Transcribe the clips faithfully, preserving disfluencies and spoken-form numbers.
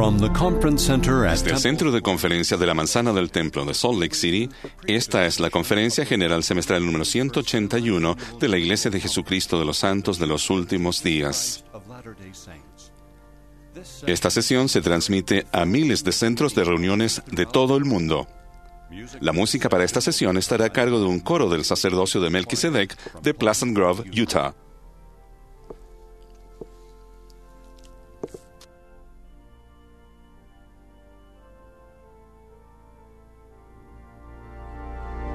From the Conference Center at Desde el Centro de Conferencia de la Manzana del Templo de Salt Lake City, esta es la Conferencia General Semestral número ciento ochenta y uno de la Iglesia de Jesucristo de los Santos de los Últimos Días. Esta sesión se transmite a miles de centros de reuniones de todo el mundo. La música para esta sesión estará a cargo de un coro del sacerdocio de Melquisedec de Pleasant Grove, Utah.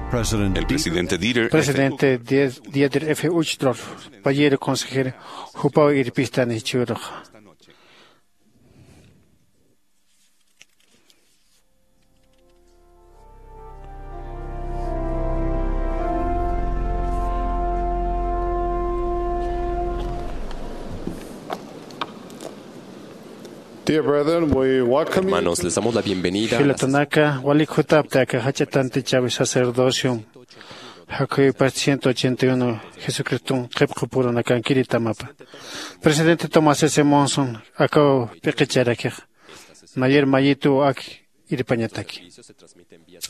President El presidente Dieter F. Presidente Dies- Dieter F. Uchtdorf, payero consejero, jupaw irpistani churux. Dear brethren, we welcome you Hermanos, to les damos la bienvenida a la Jilatanaka, walik jutapta aka jach'a tantichawi sacerdocio, jakuyipas ciento ochenta y uno Jesucriston qhipqupurunakankiritamapa. Presidente Thomas S. Monson, akaw p'iqicharakix. Nayer mayitu ak irpañataki.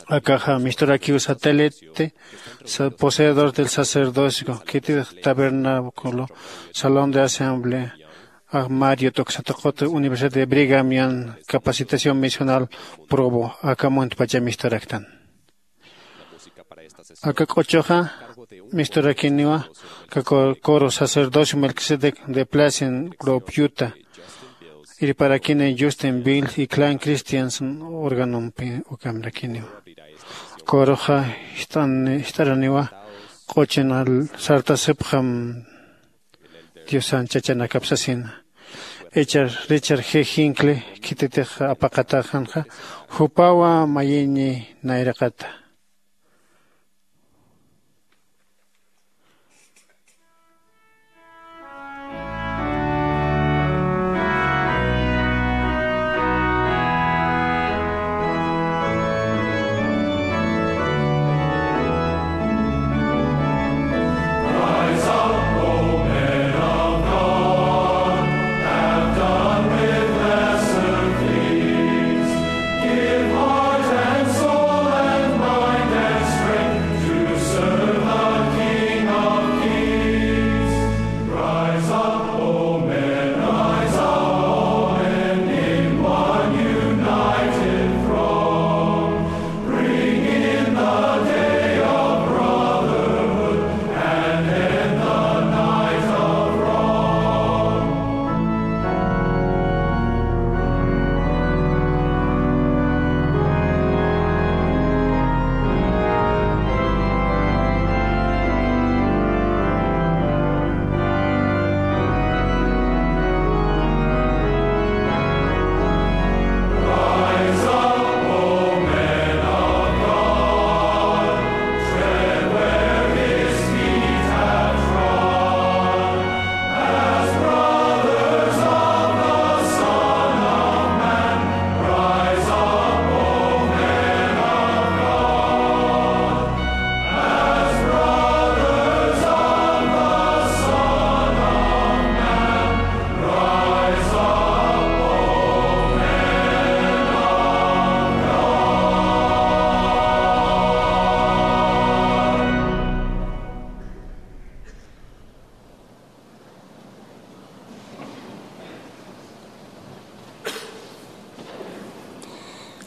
Akaxa misturakiw satélite, sa- poseedor del sacerdocio, khitir tabernáculo, salón de asamblea, armario, tuksatuqutu Universidad de Brigham Young, capacitación misional, Provo, aka muntpacha misturaktan. Aka k'uchuxa misturakiniwa, aka co- coro sacerdocio Melquisedec de Pleasant Grove, Utah. Irparakini Justin Bill y Clan Christians organompi ukamrakiniwa. Coroxa jist'an- jist'araniwa, q'uchun sartasipxam Diosan chachanakap sasina. Richard, Richard G. Hinckley, khititix apaqataxanxa, jupawa mayiñi nayraqata.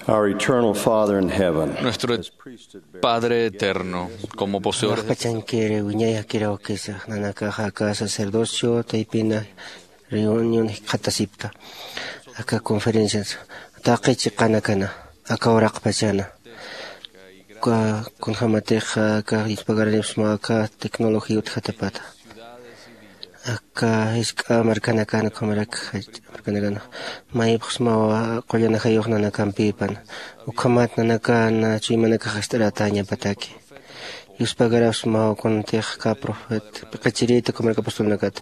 Our eternal Father in heaven, Nuestro Padre eterno, como poseedores de Pach'ankiri wiñay jakirawkisa, nanakaxa aka sacerdocio taypina reunión jikxatasipta, aka conferencias, taqi chiqanakana, aka uraqpachana, ka- kunjämatix aka yuspagaranips mä aka tecnología utjatapata. Aka jisk'a markanakan, ukhamarak jach'a markanakan, mayipxsmawa qullan ajayux nanakampipan, ukhamat nanakan chuymanakax jist'aratäñapataki. Yuspagarapxsmawa kunatix aka profeta, p'iqichirïta, ukhamarak apostolnakat,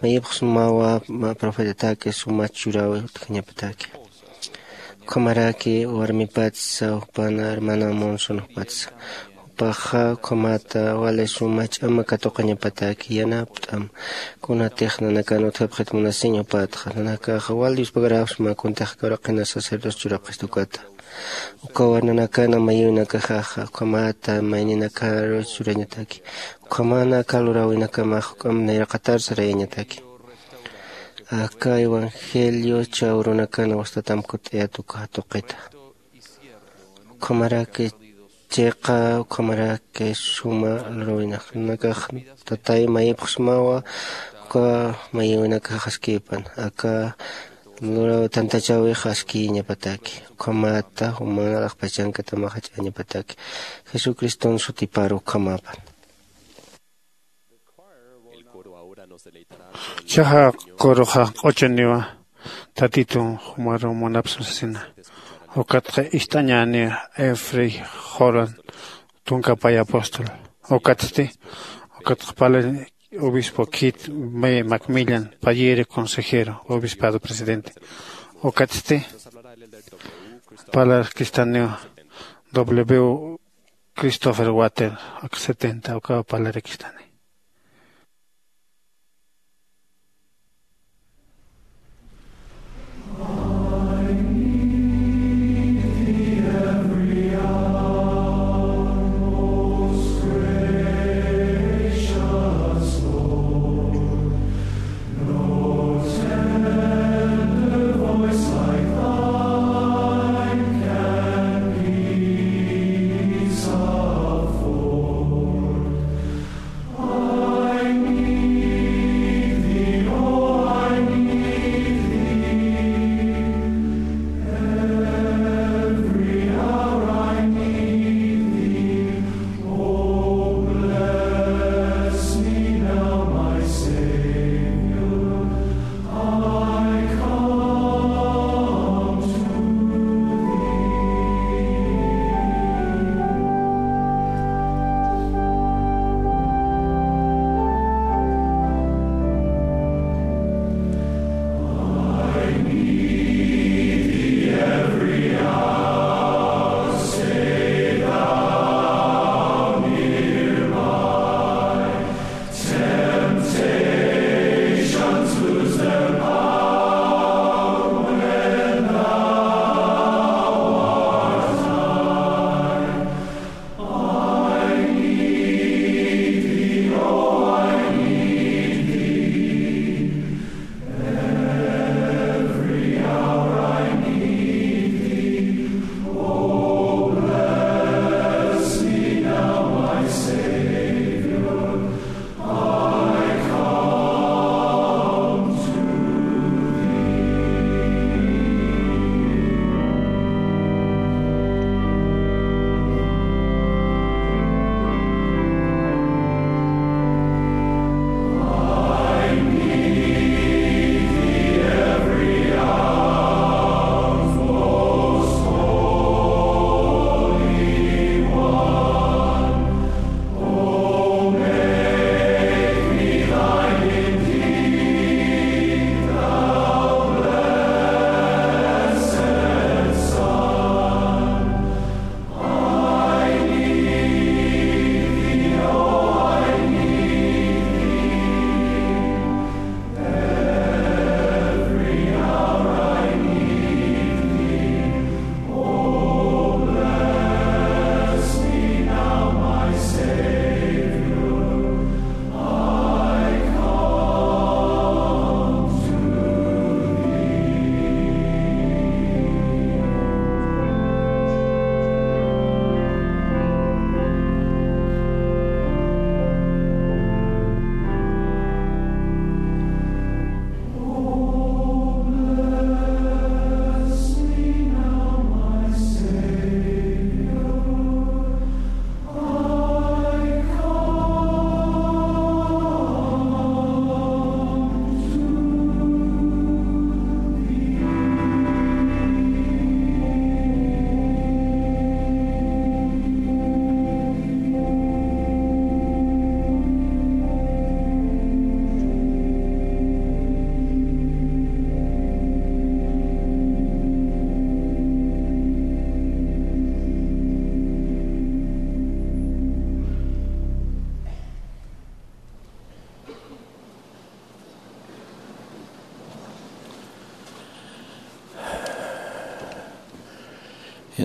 mayipxsmawa mä profetataki suma churawi utjañapataki. Ukhamaraki warmipatsa, jupana hermana Monson jupatsa, Paxa ukhamata wali suma ch'ama katuqañapataki yanapt'am. Kunatix nanakan utjapxit munasiñ jupatxa nanakaxa wal diospagarapxsma kuntix kawraqina sacerdote churapxista ukata. Ukawa nanakana mayïwinakaxaxa ukhamata mayninakaru churañataki. Ukhamana aka luräwinakamax juk'amp nayraqatar sarayañataki. Aka evangelio chawrunakana wastatam kutt'ayat uka jatuqita. Ukhamaraki chiqa ukhamaraki suma luräwinakanax tatay mayipxsmawa. Uka mayïwinakax askipan aka luraw tantachäwix askïñapataki. Ukhamata juman alaxpachankatamax jach'añapataki jesucriston sutipar ukhamapan. Chaxa kuruxa q'uchuniwa tatitun jumaru munapsma sasina. Ukatxa ist'añäniwa efrey joran tunka pay apóstol. Ukatsti ukatxa pala obispo kit macmillan payiri consejero obispado presidente. Ukatsti palarkistaniwa w Christopher Water ak setenta ukaw palarakistani.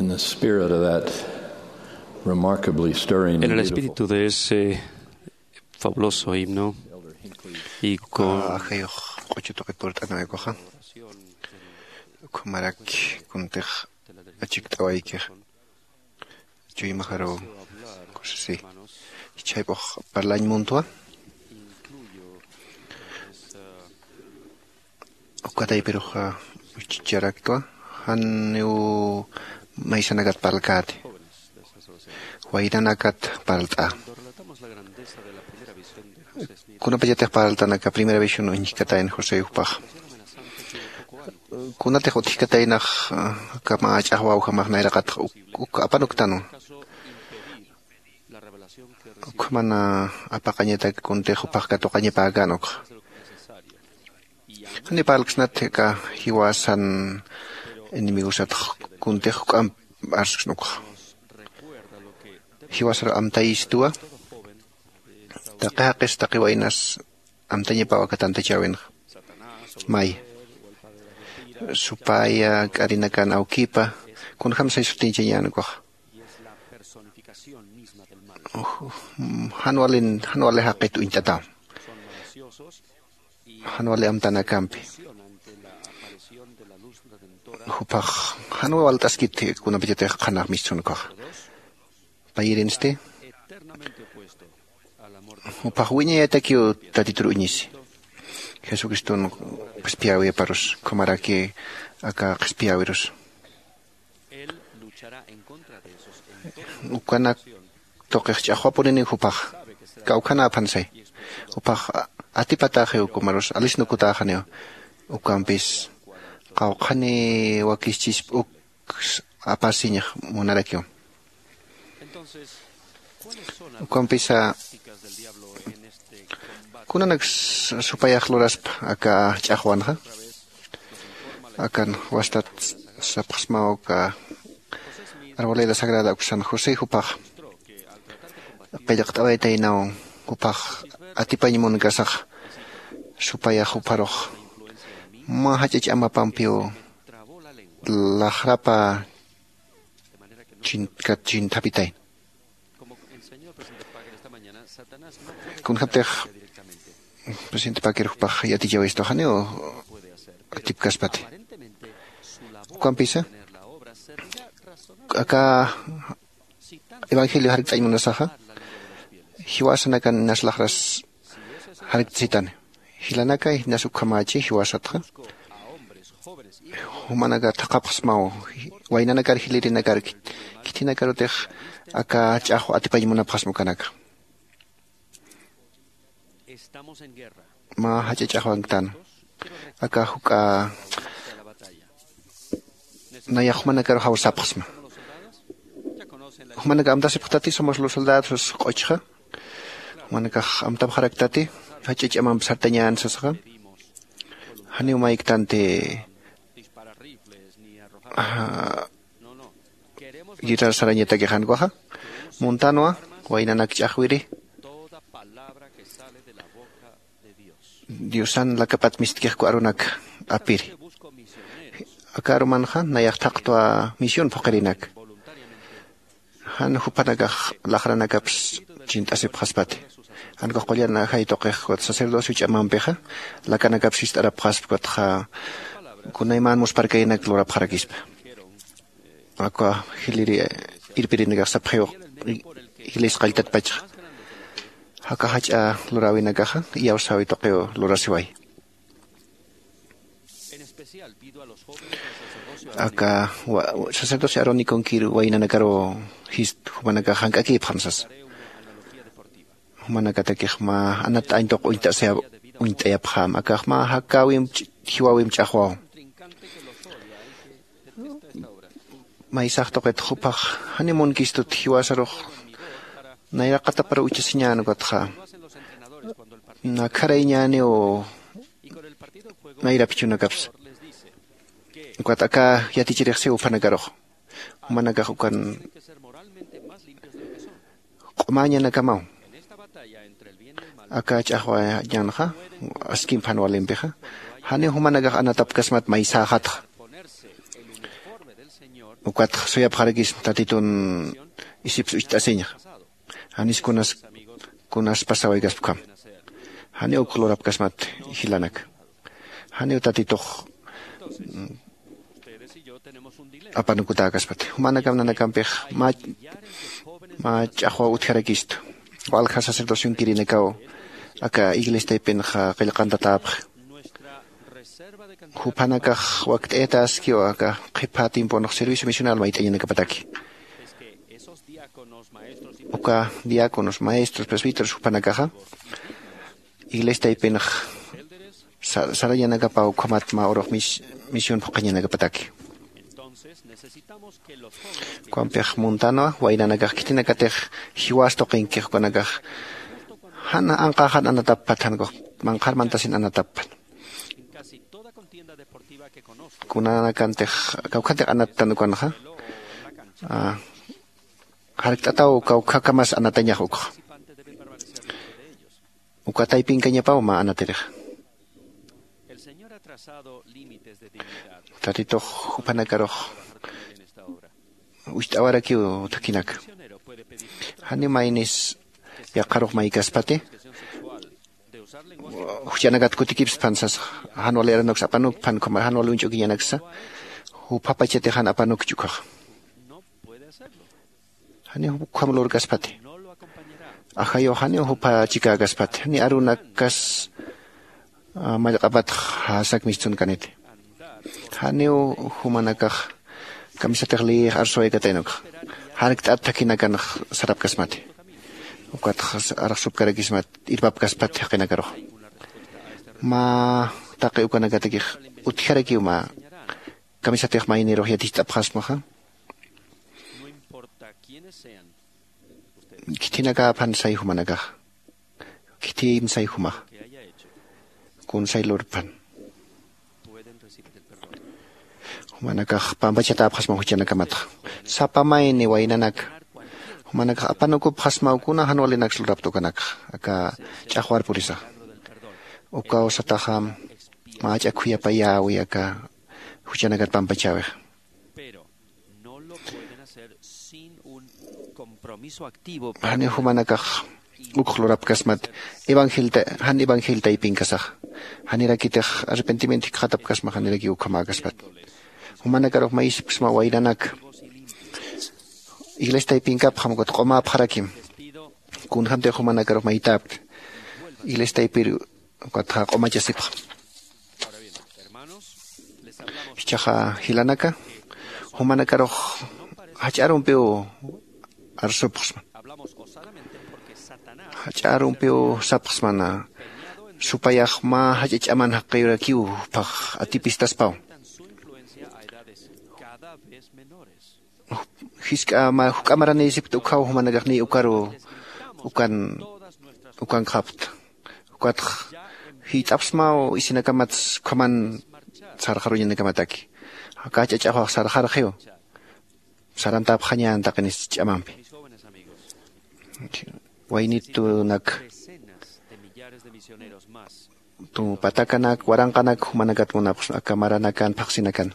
In the spirit of that remarkably stirring En el and beautiful espíritu de ese fabuloso himno y con Ajayux q'uchutuqi purt'anawaykuxa, ukhamaraki kuntix achikt'awaykixa chuymajaru kusisi chhayp'ux parlañ muntwa. Ukataypirux uchicharaktwa, janiw maysanakat parlkäti, waynanakat parlt'a. Kunapachatix parltanaka primera visión uñjkatayn José jupax, kunatix utjkataynax kama ch'axwawjamax nayraqatx uk apanuktanwa. Ukhamana apaqañatak kuntix jupax katuqañapäkän ukxa. Janiw parlksnati aka jiwasan enemigosatx kuntix juk'amp arsksna ukxa. Jiwasaru amtayistwa, taqi jaqis taqi waynas amtañapaw aka tantachäwinxa. May supaya k'arinakan awkipa kunjam say sutiñchañän ukaxa. Jan wali jan wali jaqit uñt'ataw, jan wali amtanakampi. Jupax jan walt'askit kunapachatix qhanax mistsun ukaxa. Payirinsti jupax wiñayatakiw tatitur uñisi. Jesucriston qhispiyäwiparus ukhamaraki aka qhispiyäwirus. Ukanak tuqix ch'axwapuniniw jupax kawkhanäphan say. Jupax atipatäxiw kumarus alisnukutäxaniw. Ukampis qawqhani wakischisp uk apasiñax munarakiw. Ukampisa kunanak supayax luraspa aka ch'axwanxa? Akan wastat sapxsmaw aka arboleda sagrada uksan josé jupax qillqt'awaytaynaw. Jupax atipañ munkasax supayax jupharux mä jach'a ch'amapampiw laxrapa chinthapitayna. Kunjaptix presidente pakir jupax yatichawaystaxaniw atipkaspati. Ukampisa aka evangelio jarkt'añ munasaxa jiwasanakan inas laxras jarktsitani. Jilanakay inas ukhamächi jiwasatxa jumanaka thaqhapxsmaw waynanakar jilïrinakar khithinakarutix aka ch'axwa atipañ munapxasma ukanaka. Mä jach'a ch'axwanktan aka juk'a nayax jumanakaru jawsapxsma. Jumanaka amtasipxtati somos los soldados q'uchxa. Jumanakax amtapxaraktati jach'a ch'amamp sartañän sasxa. Janiw mayktanti guerrar sarañatakix jan ukaxa. Muntanwa waynanak ch'axwiri diosan lakapat mistkixku arunak apiri. Aka arumanxa nayax thaqtwa misión phuqirinak. Jan jupanakax laxranakaps chint'asipxaspati. Jan ukax qullan ajay tuqix ukat sacerdocio ch'amampixa lakanakaps sist'arapxaspa ukatxa kunaymän muspharkaynak lurapxarakispa. Aka jiliri irpirinakax sapxiw iglesia qalltatpachxa aka jach'a luräwinakaxa iyawsäwi tuqiw lurasiway. Aka sacerdocio aróniconkir waynanakaru jist jumanakax jank'akïpxam sasa. Jumanakatakix mä anat añtuq uñt'asayap uñt'ayapxäm akax mä jakäwimp jiwäwimp ch'axwaw. Maysax tuqit jupax janiw munkistut jiwasarux nayraqatapar uchasiñän ukatxa nakharayñäniw nayrap jichhunakapsa. Ukat aka yatichirixsiw uphanakarux jumanakax ukan q'umäñanakamaw. Aka ch'axwañanxa askimp jan walimpixa janiw jumanakax anatapkasmat maysäxatxa. Ukatx suyapxarakisma tatitun isipsa ucht'asiñxa. Janis kunas kunas pasawaykaspkham. Janiw uk lurapkasmat jilanak. Janiw tatitux apanukutäkaspati. Jumanakam nanakampix mä ch'axwaw utjarakistu. Walja sacerdocion kirinakaw aka iglesiaypinxa qillqantatäpxi. Juphanakax wakt'ayataskiw aka qhipha tiemponx servicio misional mayt'añanakapataki. Uka diáconos, maestros, presbíteros juphanakaxa iglesiaypinx sarañanakapaw ukhamat mä urux misión phuqhañanakapataki. Ukampix muntanwa waynanakax khitinakatix jiwas tuqinkix ukanakax jan anqaxan anatappat jan ukux manqhar mantasin anatappat. Kunanakantix kawkhantix anattan ukanxa jarkt'ataw kawkhakamas anatañax ukxa. Uka taypinkañapaw mä anatirixa. Tatitux jupanakarux ucht'awarakiw thakhinaka. Janiw maynis yaqharux maykaspati juchanakat kutikipspan sasa. Jan wali aranuksa apanukpan ukhama jan wali uñch'ukiñanaksa. Juphapachatix jan apanukchi ukhaxa. Janiw ukham lurkaspati. Ajayu janiw jupha chikäkaspati janiw arunakas mallq'apatx jasak mistunkaniti. Janiw jumanakax kamisatix liyix arsuwaykataynukxa jarkt'at thakhinakanx sarapkasmati. Ukatx arxsupkarakismat irpapkaspat jaqinakarux mä taqi ukanakatakix utjarakiw mä kamisatix maynirux yaticht'apxasmaxa. Khitinakaphan say jumanakax khitiyim say jumax kunsay lurpan. Jumanakax pampachatäpxasma juchanakamatxa sapa mayni waynanak jumanakax apanukupxasmaw kuna jan walinaksa lurapta ukanakxa aka ch'axwar purisax. Ukaw sataxam mä jach'a khuyapayäwi aka juchanakat pampachäwix. Janiw jumanakax ukx lurapkasmat evangelta jan evangelta ipinkasaxa. Janirakitix arrepentimiento jikxatapkasma janirakiw ukhamäkaspat. Jumanakarux mayisipksma waynanak iglesiaypinkapxam ukat q'umäpxarakim. Kunjämtix jumanakarux maytäpkti iglesiaypir ukatxa q'umachasipxam. Jichhaxa jilanaka jumanakarux jach'a arumpiw arsupxsman. Jach'a arumpiw sapxsmana supayax mä jach'a ch'aman jaqiyurakiw juphax atipistaspaw. Jisk'a mä juk'a maranïsipkta ukhaw jumanakax niy ukaru ukan ukankxapkta. Ukatx jiyt'apxsmaw isinakamats ukhaman sarxaruñanakamataki. Aka jach'a ch'axwax sarxarxiw sarantäpxañän taqinis ch'amampi. Waynitunak tu patakanak waranqanak jumanakat munapxsma aka maranakan phaxsinakan.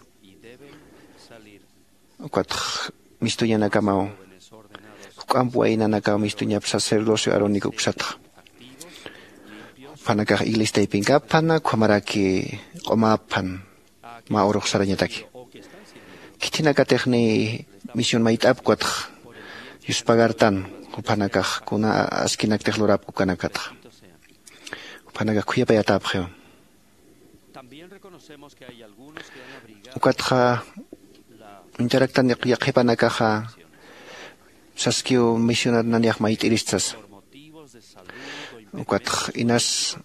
Ukatx mistuñanakamaw juk'amp waynanakaw mistuñap sacerdocio arónico uksatxa. Juphanakax iglesiaypinkapxana ukhamaraki q'umäpxan mä urux sarañataki. Khithinakatix niy misión mayt'apk ukatx yuspagartan juphanakax kuna askinaktix lurapk ukanakatxa. Juphanakax khuyapayatäpxiw. Ukatxa uñtaraktan yaqhipanakaxa saskiw misionar naniyax mayt'irist sasa. Ukatx inas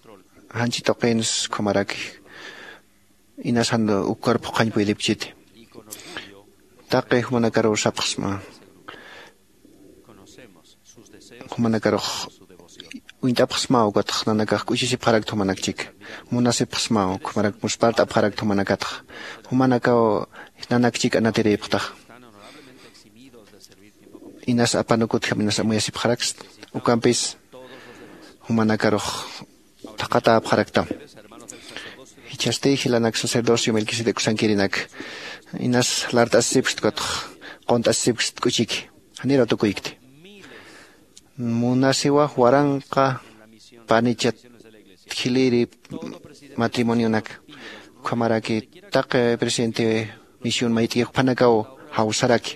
janchi tuqins ukhamaraki inas jan ukkar phuqhañ puydipchiti. Taqi jumanakaruw sapxsma jumanakarux uñt'apxsmaw ukatx nanakax k'uchisipxarakta jumanakchik. Munasipxsmaw ukhamarak muspart'apxarakta jumanakatxa. Jumanakaw nanakchik anatirïpxtaxa. Inas apanukutjam inas amuyasipxaraksta. Ukampis jumanakarux thaqhatäpxaraktam. Jichhasti jilanak sacerdocio melquisedec sankirinak inas lart'asipxta ukatx unt'asipksti k'uchiki. Janiraw tukuykti. Munasiwa waranqa panichat jiliri matrimonionak. Ukhamaraki taqi presidente misión mayt'ki juphanakaw jawsaraki.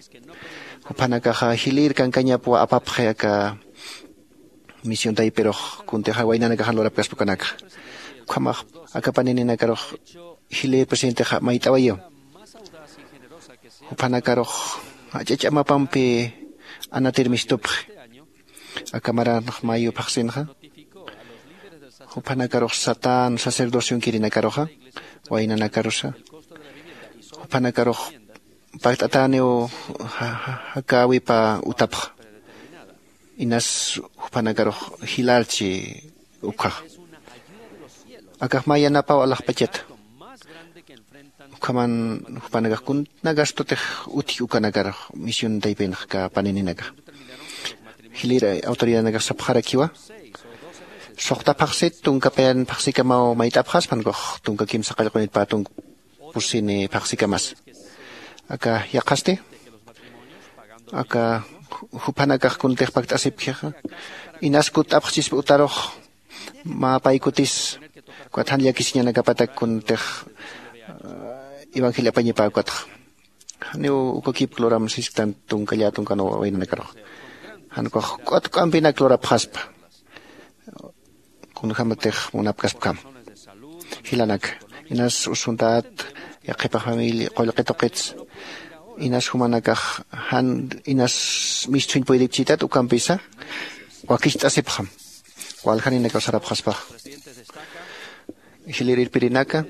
Juphanakaxa jilir kankañapwa apapxi aka misión taypirux kuntixa waynanakaxan lurapkaspa ukanakxa. Ukhamax aka paninikarux jilir presidentixa mayt'awayiw. Juphanakarux jach'a ch'amapampi anatir mistupxi. Aka maranx mayu phaxsinxa juphanakarux satän sacerdocio inkirinakaruxa waynanakarusa juphanakarux pakt'atäniw jakäwipa utapxa. Inas jupanakarux jilarchi ukhaxa. Akax mä yanapaw alaxpachata. Ukhaman jupanakax kuna gastotix utji ukanakarux misión taypinxa aka panininakax. Jilïr autoridadnakax sapxarakiwa suxta phaxsit tunka payan phaxsikamaw mayt'apxaspan kux tunka kimsa qallqunit pä tunka pusini phaxsikamasa. Aka yaqhasti aka juphanakax kuntix pakt'asipkixa inas kutt'apxchispa utarux mä paykutis ukat jan llakisiñanakapatak kuntix evangelio apañipä ukatxa. Janiw ukakipk luram sisktan tunka llä tunkan waynanakarux jan ukax k'utk'ampinak lurapxaspa. Kunjämatix munapkaspkham jilanaka inas usuntät yaqhipax familia qullqi tuqits inas jumanakax jan inas misthuñ puydipchitat ukampisa wakicht'asipxam waljaninakaw sarapxaspax. Jilïr irpirinaka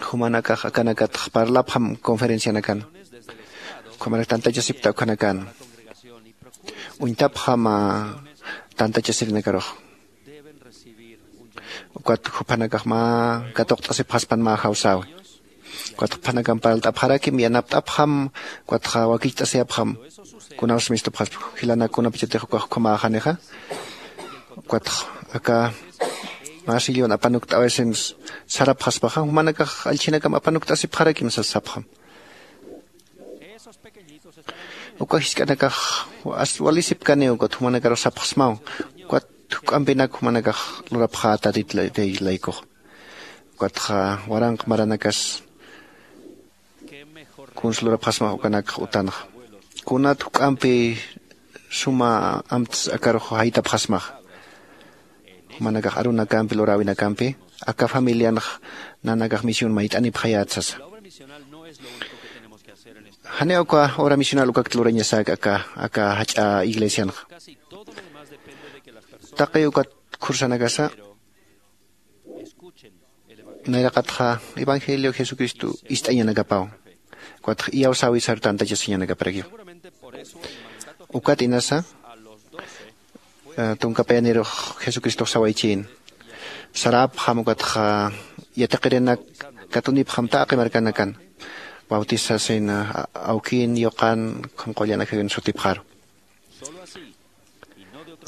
jumanakax akanakatx parlapxam conferencianakan. Ukhamarak tantachasipta ukhanakan uñtapxam tantachasirinakarux. Ukat juphanakax mä katuqt'asipxaspan mä jawsäwi. Ukat juphanakam parlt'apxarakim yanapt'apxam ukatxa wakicht'asiyapxam. Kunapsa mistupxaspa jilanak kunapachatix ukax ukhamäxanixa ukatx aka mä sillon apanukt'awaysin sarapxaspaxa jumanakax allchhinakam apanukt'asipxarakim sas sapxam. Uka jisk'anakax walisipkaniw ukat jumanakarux sapxsmaw ukat juk'ampinak jumanakax lurapxätarit laykux. Ukatxa waranq maranakas kunsa lurapxasmax ukanakx utanxa kunat juk'ampi suma amts akarux jaytapxasmaxa. Jumanakax arunakampi luräwinakampi aka familianx nanakax misión mayt'anipxayät sasa. Janiw aka obra misional ukakt lurañasäk aka aka jach'a iglesianxa. Taqi ukat khursanakasa nayraqatxa evangelio jesucristo ist'añanakapaw ukatx iyawsäwisaru tantachasiñanakaparakiw. Ukat inasa tunka payanirux jesucristox sawaychïn sarapxam ukatxa yatiqirinak katunipxam taqi markanakan bautizasin awkin yuqan ukham qullan ajayun sutipxaru.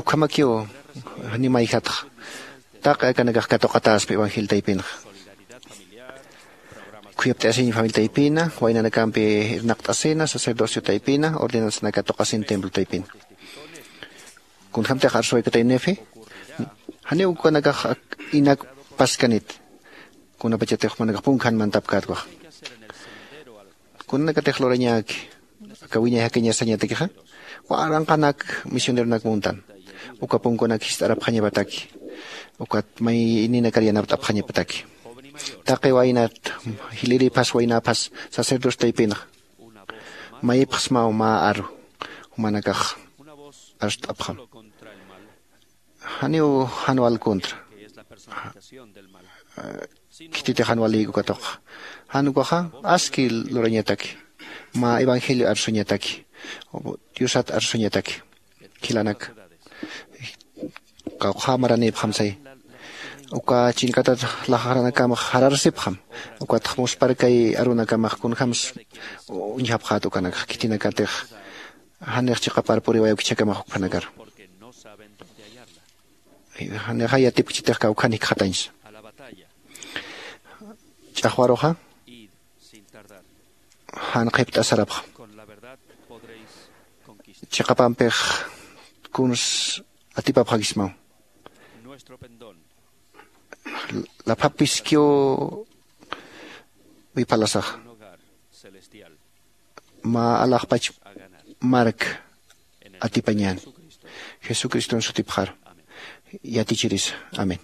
Ukhamakiw janiw mayjatxa taqi akanakax katuqatäspa evangelio taypinxa. Khuyapt'asiñ familia taypina waynanakampi irnaqt'asina sacerdocio taypina ordenanzana katuqasin templo taypina. Kunjämtix arsuwaykatay nefe janiw ukanakax inak paskanit. Kunapachatix jumanakax punkan mantapkätwax kunanakatix lurañäki aka wiñay jakiñasañatakixa waranqanak misioneronak muntan uka punkunak jist'arapxañapataki ukat mayninakar yanapt'apxañapataki. Taqi waynat jiliriphas waynäphas sacerdocio taypinxa mayipxsmaw mä aru jumanakax arst'apxam. Janiw jan wal contra khititix jan walïk uka tuqxa jan ukaxa aski lurañataki mä evangelio arsuñataki diosat arsuñataki. Khilanak qawqha maranïpxam say uka chink'atat laxaranakamax jararsipxam. Ukatx musparkay arunakamax kunjämsa uñjapxät ukanakxa khitinakatix janix chiqapar puriway awkichhakamax ukphanakar janixay yatipkchitix kawkhan jikxatañsa. Ch'axwaruxa jan qhipt'asarapxam. Chiqapampix kuns atipapxakismaw. Laphapiskiw wipalasaxa. Mä alaxpach mark atipañän. Jesucriston sutipxar yatichirisa. Amén.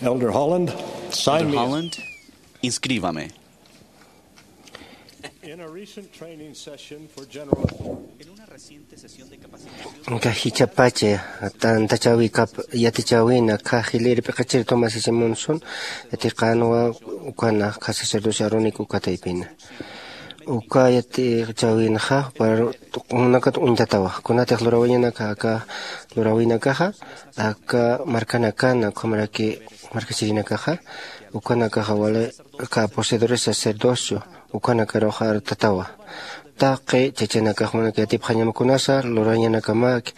Elder Holland, sign Elder me. Holland, inscríbame. In a recent training session for general authority, Uka jichhapacha tantachäwikap yatichäwina kha jilïr p'iqichir Thomas S. Monson yatiqänwa. Ukana kha sacerdocio Aaronico uka taypina. Uka yatichäwinxa juparunakat uñtatawa. Kunatix lurawiñanaka aka luräwinakaxa aka markanakana ukhamaraki markachirinakaxa ukanakaxa wali aka poseedores sacerdocio ukanakaruxa artatawa. Taqi chachanakax jumanaka yatipxañama kunasa lurañanakamaki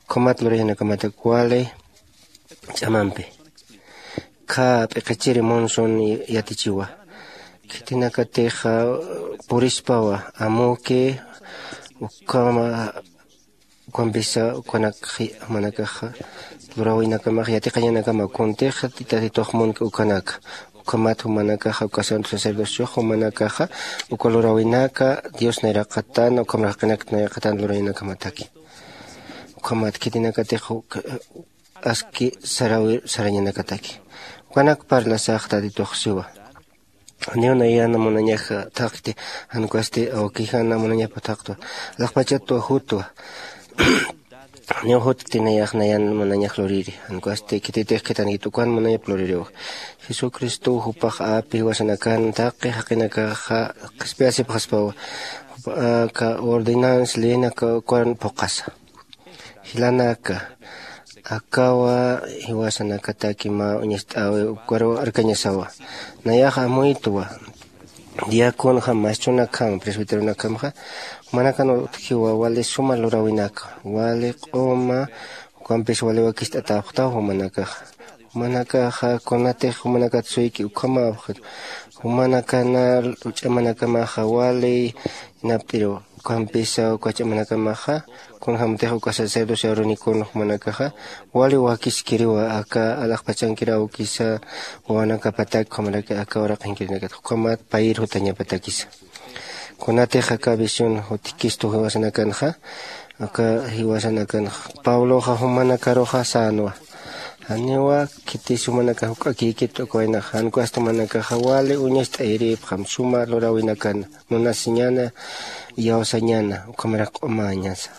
ukhamat lurañanakamatak wali ch'amampi. Kha p'iqichiri Monson yatichiwa. Khitinakatix purispawa amuki ukhama ukampisa ukanak jumanakaxa luräwinakamax yatiqañanakama kuntix tatitux munki ukanaka. Ukhamat jumanakaxa uka santo sacerdociox jumanakaxa uka luräwinaka Dios nayraqatan ukhamaraki jaqinakta nayraqatan lurañanakamataki. Ukhamat khitinakatix aski sarawi sarañanakataki. Ukanak parlasax tatitux siwa. Janiw nayan munañax thaqti, jan ukasti awkijana munañapa thaqtwa. Alaxpachatwa jutwa. Janiw jutkti nayax nayan munañax luriri, jan ukasti khititix khithankit ukan munañap luririwa. Jesucristow jupax api jiwasanakan taqi jaqinakaxa qhispiyasipxaspawa. Jupa aka ordenanza leynaka ukan phuqhasa. Jilanaka, akawa jiwasanakataki mä uñacht'äwi ukaruw arkañasawa. Nayax amuytwa diaconjam, maestronakham, presbiteronakhamxa jumanakan utjiwa wali suma luräwinaka, wali q'uma ukampis wali wakicht'atäpxtaw jumanakaxa. Jumanakaxa kunatix jumanakat suyki ukhamäpxi, jumanakana ch'amanakamaxa wali inapt'iru. Ukampisa uka ch'amanakamaxa kunjämtix uka sacerdocio Aaronicon jumanakaxa wali wakiskiriwa aka alaxpachankir awkisa wawanakapatak ukhamaraki aka uraqinkirinakatxa ukhamat payir jutañapatakisa. Kunatix aka visión jutkistu jiwasanakanxa, aka jiwasanakanxa Pabloxa jumanakaruxa sänwa. Janiwa khitis jumanakax juk'akïkit uka waynaxa, jan ukasti jumanakaxa wali uñacht'ayirïpxam suma luräwinakana, munasiñana, iyawsañana, ukhamarak q'umäñasa.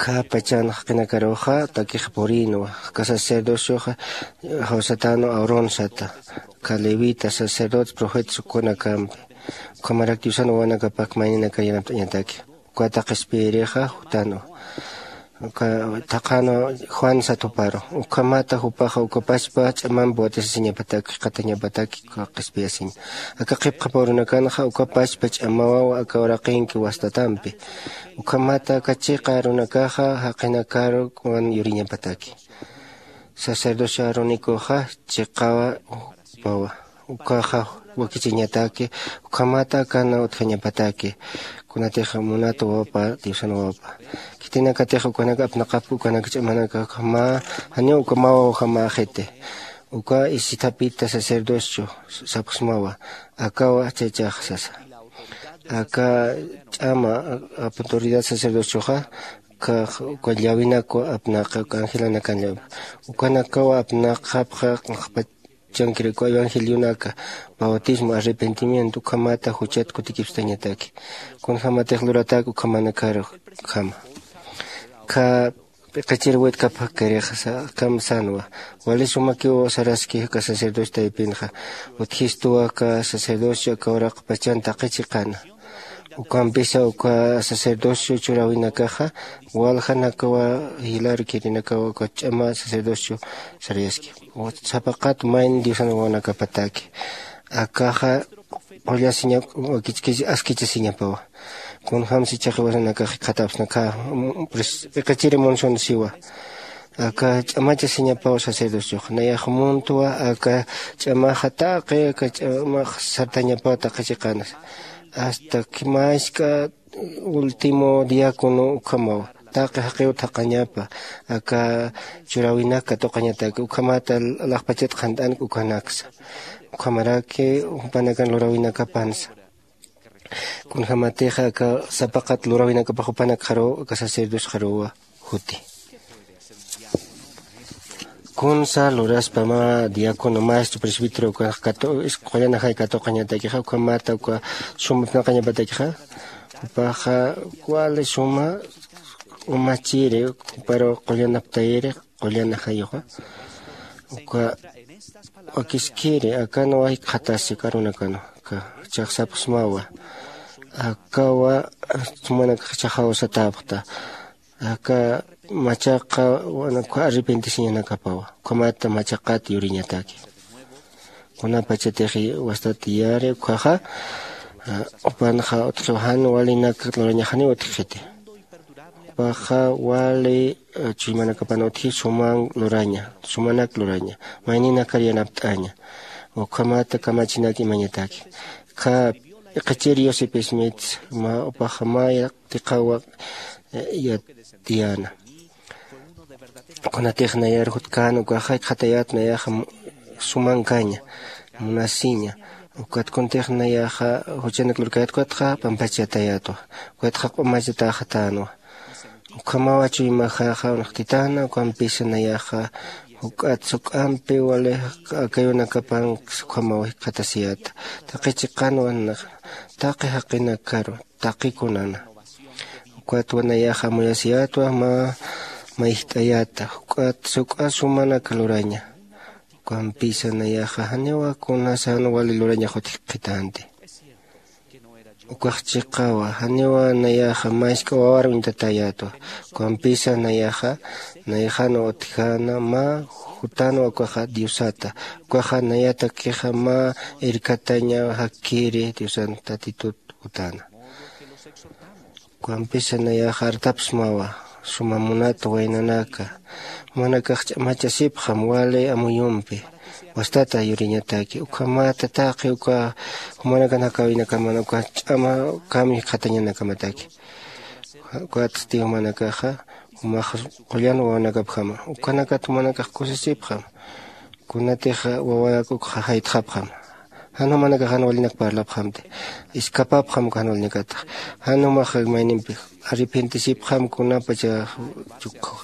Khä pachan jaqinakaruxa takix purïnwa, aka sacerdocioxa jawsatänu Aarón sata, aka levita, sacerdotes, profetas ukhunakampi, ukhamarak Diosan wawanakapak mayninakar yanapt'añataki. Ukata qhispiyirixa jutänwa. Uka thaqhänwa Juan sat juparu. Ukhamata jupaxa uka pachpa ch'amampi watisasiñapataki, qhatañapataki uka qhispiyasiñ. Aka qhipqhapa urunakanxa uka pachpa ch'amawawa aka uraqinki wastatampi. Ukhamata aka chiqa arunakaxa jaqinakaruwan yuriñapataki. Sacerdocio Aaronicoxa chiqawa jupawa. Ukaxa wakichiñataki, ukhamata akana utjañapataki. Kunatix munat wawapa, Diosan wawapa. Khitinakatix ukanak apnaqapki ukanak ch'amanakaxa mä, janiw uka mä wawjamaxiti. Uka isithapita sacerdocio sapxsmawa, akawa chachax sasa. Aka ch'ama autoridad sacerdocioxa, uka llawinakwa apnaqa, uka angelanakan llawi. Ukanakawa apnaqapxa, chankirikuwa evangelionaka, bautismo, arrepentimiento, ukhamata juchat kutikipstañataki. Kunjamatix luratak ukhamanakarukhama. Kha p'iqichir witkapxakirixsa akham sänwa. Wali sumakiw saraski aka sacerdocio taypinxa. Utjistuwa aka sacerdocio aka uraq pachan taqi chiqana. Ukampisa uka sacerdocio churäwinakaxa waljanakawa jilar khirinakawa uka ch'ama sacerdocio sarayaski. Sapaqat mayni Diosan wawanakapataki. Akaxa qullasiña wakichkisi askichasiñapawa. Kunjämsi chaqi wasanakax jikxatapsna khä iqichiri munsun siwa. Aka ch'amachasiñapaw sacerdociox nayax muntwa aka ch'amaxa taqi aka ch'amax sartañapaw taqi chiqanas. Asta khimask'a último diácono ukhamaw taqi jaqiw thaqañapa aka churäwinak katuqañataki ukhamata alaxpachat qhant'anak ukhanaksa. Ukhamaraki jupanakan luräwinakapansa kunjämatixa aka sapaqat luräwinakapax jupanakxaruw aka sacerdosxaruwa juti. Kunsa luraspama diácono maestro presbítero ukax qullanajay katuqañatakixa ukhamata uka suma apnaqañapatakixa jupaxa wali suma umachiri juparu qullanaptayiri qullanajayuxa uka wakiskiri akanwa jikxatasi karunakanwa aka chaxsapxsmawa. Akawa sumanakax chaxaw satäpxta aka machaqa arrepentisiñanakapawa ukhamata machaqat yuriñataki. Kunapachatix wastat yari ukhaxa jupanxa utjiw jan walinak lurañaxaniw utjxiti. Jupaxa wali chuymanakapan utji suman luraña sumanak luraña mayninakar yanapt'aña. Ukhamata kamachinak imañataki kha iqichir yosip smith mä upaxa mä yaqtiqawa yatiyäna. Kunatix nayar jutkän ukaxa jikxatayät nayaxa sumankaña munasiña. Ukat kuntix nayaxa juchanak lurkayät ukatxa pampachayatayätwa ukatxa q'umachatäxatänwa. Ukhamawa chuymaxaxa unxtitäna ukampisa nayaxa juk'at suk'ampi wali akayunakapan ukhamaw jikxatasiyäta. Taqi chiqanwa naxa taqi jaqinakaru taqi kunana. Ukatwa nayaxa amuyasiyätwa mä mayjt'ayäta juk'at suk'a sumanak luraña. Ukampisa nayaxa janiwa kunasan wali lurañax utjkxitänti. Ukax chiqawa janiwa nayaxa mask'a wawar uñtatäyätwa. Ukampisa nayaxa nayxanwa utjäna mä jutänwa ukaxa diosata ukaxa nayatakixa mä irkataña jakkiri diosan tatitut jutäna. Ukampisa nayaxa artapsmawa suma munat waynanaka jumanakax ch'amachasipxam wali amuyumpi wastata yuriñataki ukhamata taqi uka jumanakan jakäwinakamana uka ch'ama kami jikxatañanakamataki. Ukatsti jumanakaxa jumax qullan wawanakapjama ukhanakat jumanakax kusisipxam. Kunatix wawanak ukxa jaytxapxam jan jumanakax jan walinak parlapxamti. Iskapapxam uka jan walinakatax jan jumax maynimpi arrepentisipxam kunapacha chukxa.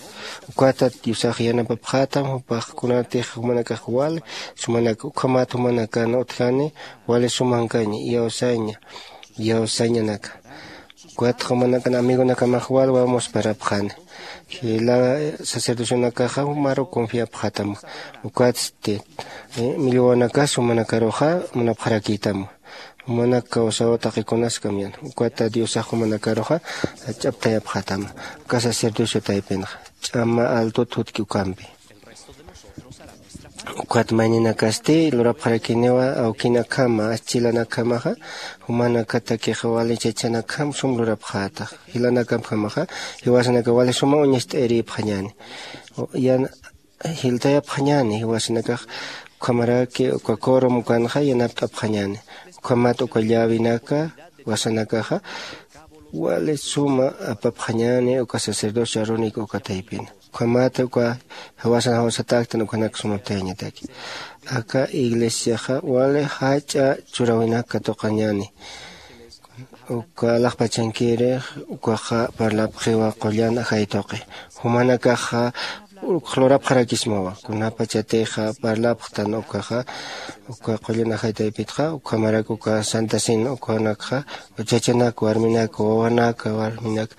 Ukatat diosax yanapapxätam jupax kunatix jumanakax wali sumanak ukhamat jumanakan utjani wali sumankaña iyawsaña iyawsañanaka. Ukatxa jumanakan amigonakamax wal wamusparapxani. Jila sacerdocionakaxa jumaru confiapxätam. Ukatsti millwawanakas jumanakaruxa munapxarakïtam. Jumanak kawsaw taqikunaskam yan ukata diosax jumanakaruxa jach'aptayapxätam. Uka sacerdocio taypinxa ch'ama altut jutki ukampi. Ukat mayninakasti lurapxarakiniwa awkinakjama aschilanakhamaxa jumanakatakixa wali chachanakjam sum lurapxätax. Jilanakampjamaxa jiwasanaka wali suma uñast'ayirïpxañäni. Jiltayapxañäni jiwasanakax ukhamaraki uka corom ukanxa yanapt'apxañäni. Ukhamat uka llawinaka wasanakaxa wali suma apapxañäni uka sacerdocio arónico uka taypina. Ukhamata uka jiwasan jawsatäktan ukhanak sumaptayañataki. Aka iglesiaxa wali jach'a churäwinak katuqañäni. Uka alaxpachankirix ukaxa parlapxiwa qullan ajay tuqi. Jumanakaxa uk lurapxarakismawa kunapachatixa parlapxtan ukaxa uka qullan ajay taypitxa ukhamarak uka santa cena ukanakxa uchachanak warminak wawanak warminak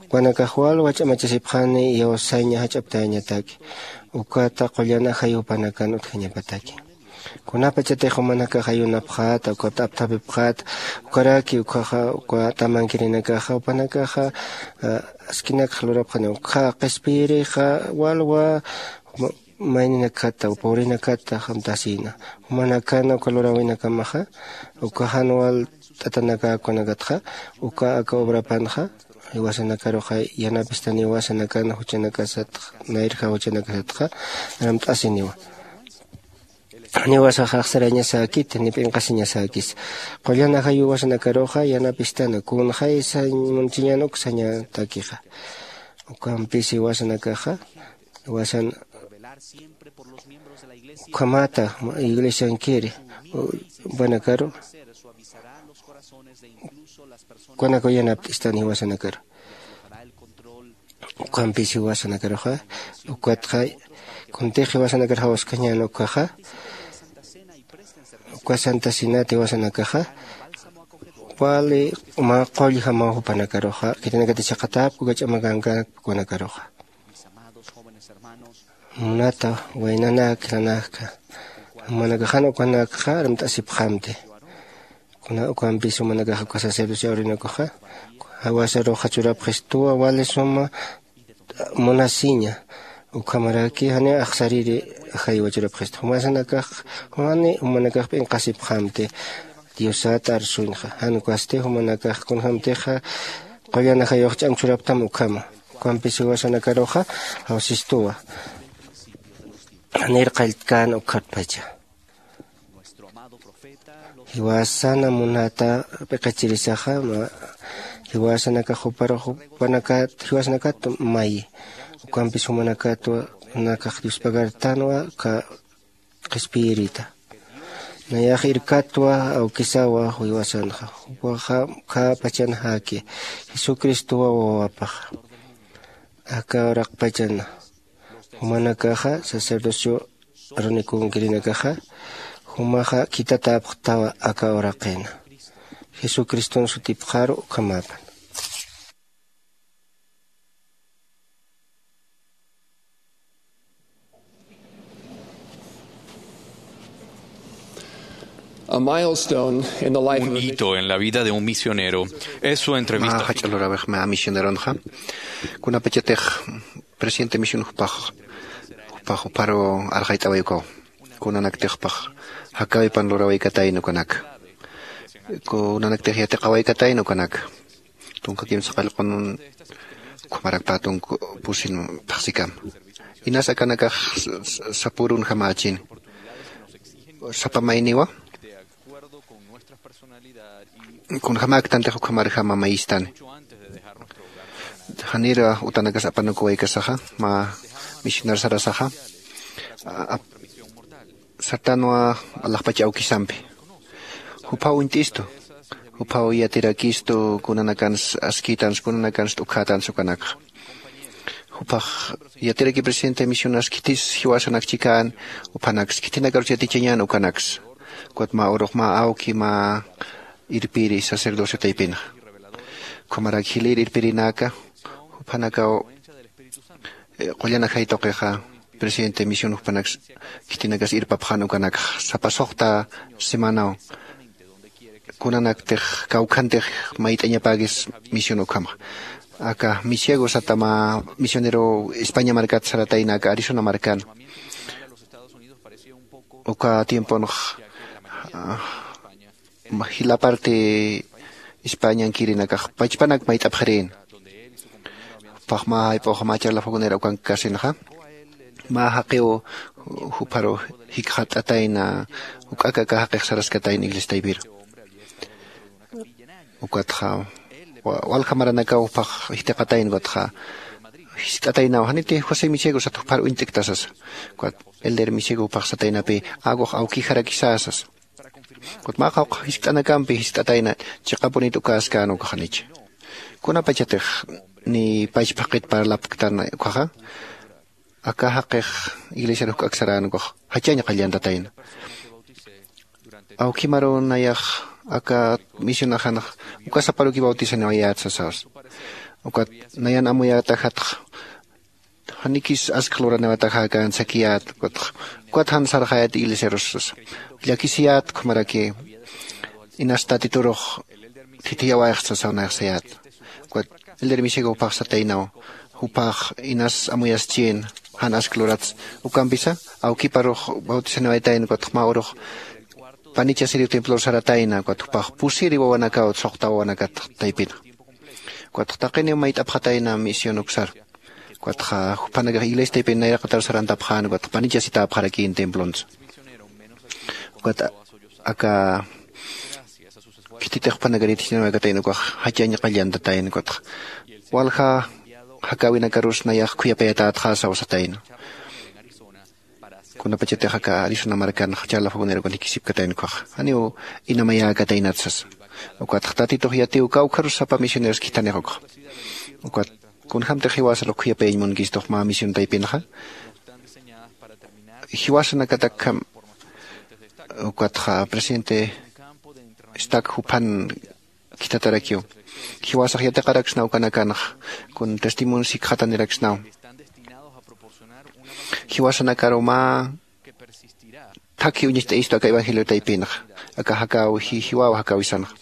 ukanakax wal wach'amachasipxani iyawsaña jach'aptayañataki. Ukata qullan ajay jupanakan utjañapataki. Kunapachatix jumanakax ayunapxäta ukat apthapipxäta ukaraki ukhaxa uka tamankirinakaxa jupanakaxa askinakxa lurapxani ukxa qispiyirixa walwa mayninakata pobrenakata jamtasïna. Jumanakana uka luräwinakamaxa uka jan wal t'atanakäkunakatxa uka aka obrapanxa jiwasanakaruxa yanapistaniwa sanakan juchanakasatxa nayrja juchanakasatxa. Ramt'asiniwa. Janiwasaxa axsarañasäkiti ni p'inqasiñasäkis. Qullan ajayuwasanakaruxa yanapistana kunxay sañ munchiñan uk sañatakixa. Ukampis jiwasanakaxa jiwasan ukhamata iglesiankiri jupanakaru ukanakaw yanapt'istan jiwasanakaru. Ukampis jiwasanakaruxa ukatxa kuntix jiwasanakar jawaskañän ukaxa uka santa cenat jiwasanakaxa wali mä qullja mä jupanakaruxa khitinakati chhaqatäpku kach'amakankäpku ukanakaruxa. Munata waynanak nanakka jumanakaxan ukanakxa armt'asipxamti. Kuna ukampis jumanakaxa uka sacerdocio awrinakuxa jawasaruxa churapxistuwa wali suma munasiña. Ukhamaraki jani axsariri ajaywa churapxistu jumasanakax jani jumanakax p'inqasipxamti. Diosat arsuñxa jan ukasti jumanakax kunjämtixa qullan ajayux ch'am churaptam ukhama. Ukampis jiwasanakaruxa jawsistuwa janir qalltkän ukhatpacha. Jiwasana munata p'iqichirisaxa jiwasanakax juparux jupanakat jiwasanakat mayi. Ukampis jumanakatwa nakax diospagartanwa ka qhispiyirita. Nayax irkatwa awkisawa jiwasanxa jupaxa khäpachan jaki jesucristowa wawapaxa. Aka uraqpachana jumanakaxa sacerdocio aronikun kirinakaxa jumaxa khitatäpxtawa aka uraqina jesucriston sutipxaru ukhamapan. A milestone in the life of a Un hito en la vida de un misionero es su entrevista. Mä jach'a luräwix mä misioneronxa kunapachatix presidente misión jupax jupax juparu arxayt'away ukaw kunanaktix jupax jakäwipan luräwaykatayna ukanaka kunanaktix yatiqawaykatayna ukanaka tunka kimsa qallqun ukhamarak pä tunka pusin phaxsikama. Inas akanakax sapürunjamächini sapa mayniwa kunjämäktantix ukhamarjama mayistani. Janir utanakas apanukuwaykasaxa mä misionar sarasaxa sartanwa alaxpacha awkisampi juphaw uñt'istu juphaw yatirakistu kunanakans askïtans kunanakans t'ukhätans ukanakxa. Juphax yatiraki presidente misionas khitis jiwasanak chikän juphanaks khitinakarus yatichañän ukanaks ukat mä urux mä awki mä irpiri sacerdocio taypinxa. Ukhamarak jilïr irpirinaka juphanakaw qullan ajay tuqixa presidente misión juphanaks khitinakas irpapxän ukanakxa sapa suxta semanaw kunanaktix kawkhantix mayt'añapäkis misión ukhamax. Aka misiego sata mä misionero españa markat saratayna aka arizona markan uka tiemponx jila parte españankirinakax pachpanak mayt'apxirïn. Jupax mä jayp'ux mä charla fogonera ukankasinxa mä jaqiw jupharu jikxat'atayna juk'ak aka jaqix saraskatayna iglesia taypiru. Ukatxa walja maranakaw jupax jitiqatayna ukatxa jiskt'ataynaw janiti josé misiego sat jupharu uñt'ikta sasa. Ukat elder misiego jupax sataynapï akux awkijarakisä sasa. Ukat mä qawqha jiskt'anakampi jiskt'atayna chiqapunit ukäskän ukaxanicha kunapachatix ni pachphaqit parlapktan ukaxa aka jaqix iglesiar juk'ak sarän ukax jachañ qallantatayna. Awkimaru nayax aka misionaxanx uka saparuki bautisaniwayät sasaws. Ukat nayan amuyätajatx janikis askx luraniwataxäkän sakiyät ukatx ukat jan sarxayät iglesiarus sasa. Llakisiyät ukhamaraki inas tatiturux thithiyawayxt sasaw nayax sayät. Ukat elder misiego jupax sataynaw jupax inas amuyaschïn jan ask luratsa. Ukampisa awkiparux bautizaniwaytayna ukatxa mä urux panichasiriw templor saratayna ukatxa jupax pusiri wawanakaw suxta wawanakat taypina. Ukatxa taqiniw mayt'apxatayna misión uksar. Ukatxa jupanakax iglesia taypin nayraqatar sarantapxän ukatxa panichasitäpxarakïn templontsa. Ukat aka khititix jupanakar yatichaniwaykatäyna ukax jachañ qallantatayna ukatxa walja jakäwinakarus nayax khuyapayatayatxäsa usatayna. Kunapachatix aka arizona markanxa charla fagunirakunjikisipkatayna ukhaxa janiw inamayäkataynat sasa. Ukatxa tatitux yatiw kawkharus sapa misioneros khithanix ukxa. Ukat kunjämtix jiwasarux khuyapayañ munkistux mä misión taypinxa jiwasanakatakkham. Ukatxa presidente stak juphan khithatarakiw jiwasax yatiqaraksnaw ukanakanxa kun testimonio sikxataniraksnaw. Jiwasanakaru mä thakhi uñacht'ayistu aka evangelio taypinxa aka jakäw jiwäw jakäwisanxa.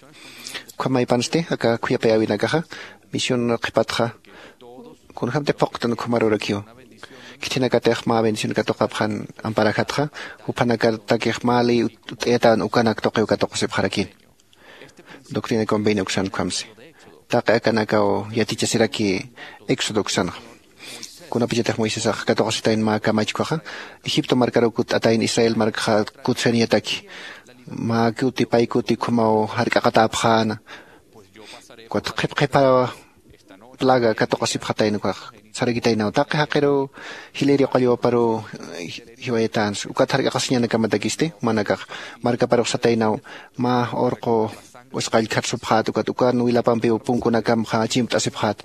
Ukhamaypansti aka khuyapayäwinakaxa misión qhipatxa kunjämtix phuqtan ukhamarurakiw. Khithinakatix mä bendición katuqapxan amparajatxa juphanakatakix mä ley ut'ayatän ukanak tuqiw katuqasipxarakïn. Doctrina y convenio uksan ukhamsi taqi akanakaw yatichasiraki éxodo uksanxa. Kunapachatix moisesax katuqasitayn mä kamachkhaxa egipto markaruw kutt'atayn israel markxa kutsañataki mä kuti pay kuti ukhamaw jark'aqatäpxäna. Ukat qhip qhipa plaga katuqasipxatayna ukax sarakitaynaw taqi jaqiruw jilïri qullwaparuw jiwayatänsa ukat jark'aqasiñanakamatakïsti jumanakax markaparux sataynaw mä urqu usqallkhat supxät ukat ukan wilapampiw punkunakamxa chimpt'asipxät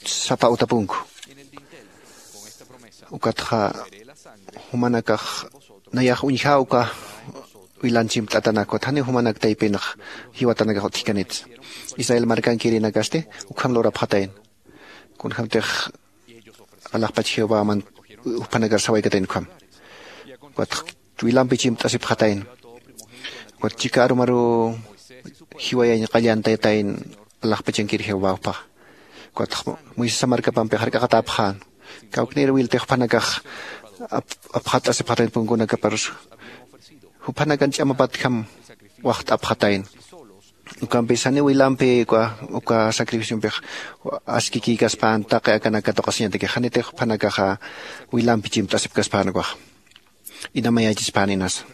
sapa utapunku. Ukatxa jumanakax nayax uñjäwka wilan chimpt'atanak ukat janiw jumanak taypinx jiwatanakax utjkanitsa. Israel markankirinakasti ukham lurapxatayna. Kunjämtix alaxpach jehovaman juphanakar sawaykatayna ukham. Ukatx wilampi chimpt'asipxatayna. Ukat chika arumaruw jiwayañ qallantayatayna alaxpachankir jehová juphaxa. Ukatx moisesa markapampix jark'aqatäpxän kawknïr wiltix juphanakax apxat'asipxatayna punkunakaparus. Juphanakan ch'amapatjam waxt'apxatayna. Ukampis janiw wilampi uka sacrificionpix askikïkaspän taqi akanak katuqasiñatakix janitix juphanakaxa wilampi chimpt'asipkaspän ukaxa. Inamayächispäninasa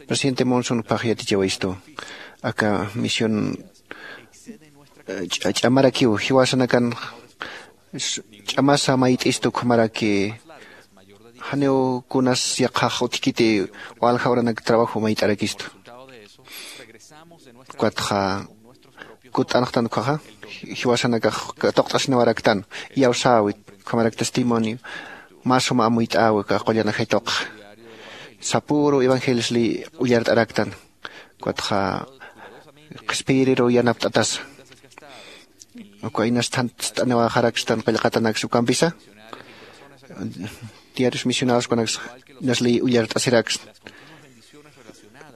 presidente monson juphax yatichawayistu aka misión ch'amarakiw jiwasanakan ch'amasa mayt'istu ukhamaraki janiw kunas yaqhax utjkiti walja uranak trabajo mayt'arakistu. Ukatxa kutt'anxtan ukhaxa jiwasanakax katuqt'asinawaraktan iyawsäwi ukhamarak testimonio mä suma amuyt'äwi aka qullan ajay tuqi sapüru evangelios ley ullart'araktan. Ukatxa qhispiyiriruw yanapt'atasa uka inas thantst'aniwäxarakstan qillqatanaksa ukampisa diarios misionados kunaks inas ley ullart'asiraksna.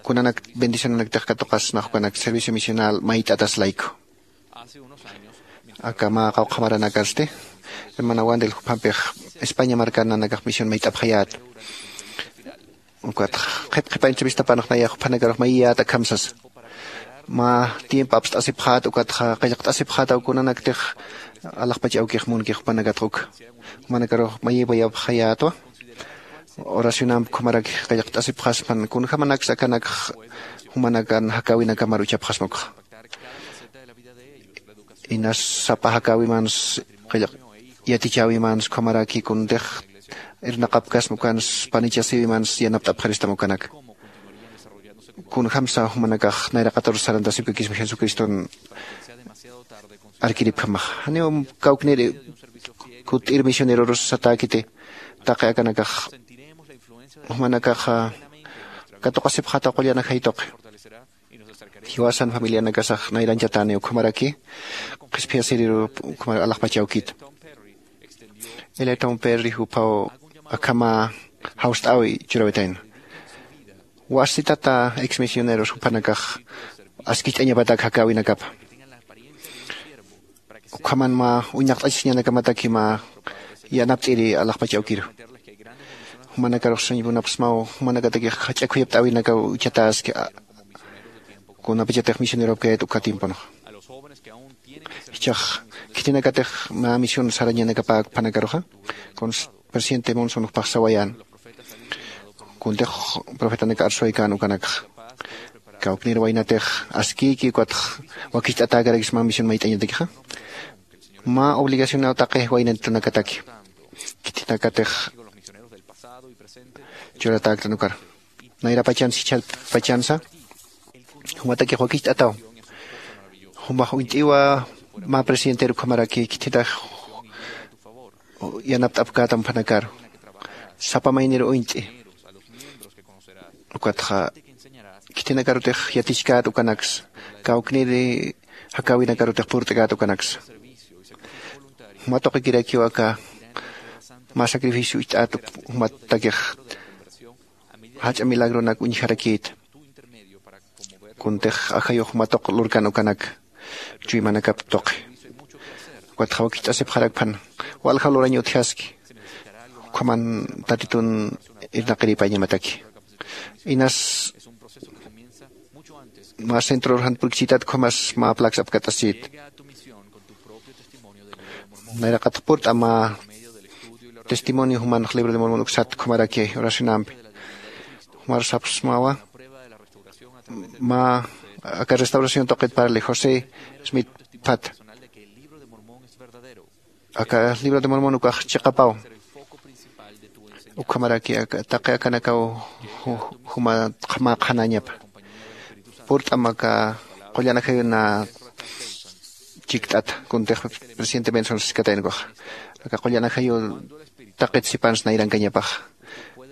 Kunanak bendicionanaktix katuqasnax ukanak servicio misional mayt'atas layku. Aka mä qawqha maranakasti hermana wandel juphampix españa markan nanakax misión mayt'apxayät. Ukatx qhip qhipa entrevistapanx nayax juphanakarux mayiyät akham sasa mä tiempo apst'asipxät ukatxa qillqt'asipxätaw kunanaktix alaxpach awkix munkix jupanakatx uk jumanakarux mayiwayapxayätwa. Oracionamp ukhamaraki qillqt'asipxaspan kunjämanaksa akanakx jumanakan jakäwinakamar uchapxasma ukxa. Inas sapa jakäwimans qillq yatichäwimans ukhamaraki kuntix irnaqapkasma ukans panichasiwimans yanapt'apxaristam ukanak. Kunjämsa jumanakax nayraqatarus sarantasipkakisma jesucriston arkiripjamaxa janiw kawknir kutt'ir misionerorus satäkiti. Taqi akanakax jumanakaxa katuqasipxätaw qullan ajay tuqi. Jiwasan familianakasax nayranchatäniw ukhamaraki qhispiyasiriru ukhamarak alaxpach awkit. Eliatom perri juphaw akhama jawst'äwi churawitayna. Wasitata ex misioneros juphanakax askicht'añapatak jakäwinakapa ukhaman mä uñaqt'achasiñanakamataki mä yanapt'iri alaxpach awkiru. Jumanakarux sañpunapxsmaw, jumanakatakix jach'a khuyapt'äwinakaw uchataski, kunapachatix misioneropkayät uka tiemponxa. Jichhax khitinakatix mä misión sarañanakapäk juphanakaruxa, presidente Monson jupax sawayän, kuntix profetanak arsuwaykän ukanakxa. Kawknir waynatix askïki ukatx wakicht'atäkarakis mä misión mayt'añatakixa. Mä obligacionaw taqi waynantunakataki, khitinakatix churatäktan ukar. Nayrapachansa jichhapachansa jumatakix wakicht'ataw. Jumax uñt'iwa mä presidenteru ukhamaraki khititax yanapt'apkätam juphanakaru. Sapa maynir uñt'i. Ukatxa khitinakarutix yatichkät ukanaksa, kawkniri jakäwinakarutix purt'kät ukanaksa. Juma tuqikirakiw aka mä sacrificio ucht'ät jumatakix jach'a milagronak uñjarakïta. Kuntix ajayux juma tuq lurkan ukanak chuymanakap tuqi. Ukatxa wakicht'asipxarakpan walja lurañ utjaski. Ukhaman Tatitun irnaqiripayañamataki. Inas mä centror jan purkchitat ukhamas mä plax apkat'asit. Nayraqat purt'a mä testimonio jumanx Libro de Mormon uksat ukhamaraki oracionampi. Jumar sapxsmawa mä aka restauración tuqit parli José Smith Pat. Aka Libro de Mormon ukax chiqapaw. Ukhamaraki aka, taqi akanakaw ju-, juma qhama qhanañapa. Purt'am aka qullan ajayuna chikt'ata, kuntix presidente Benson siskatayna ukaxa. Aka qullan ajayu taqit sipans nayrankañapaxa.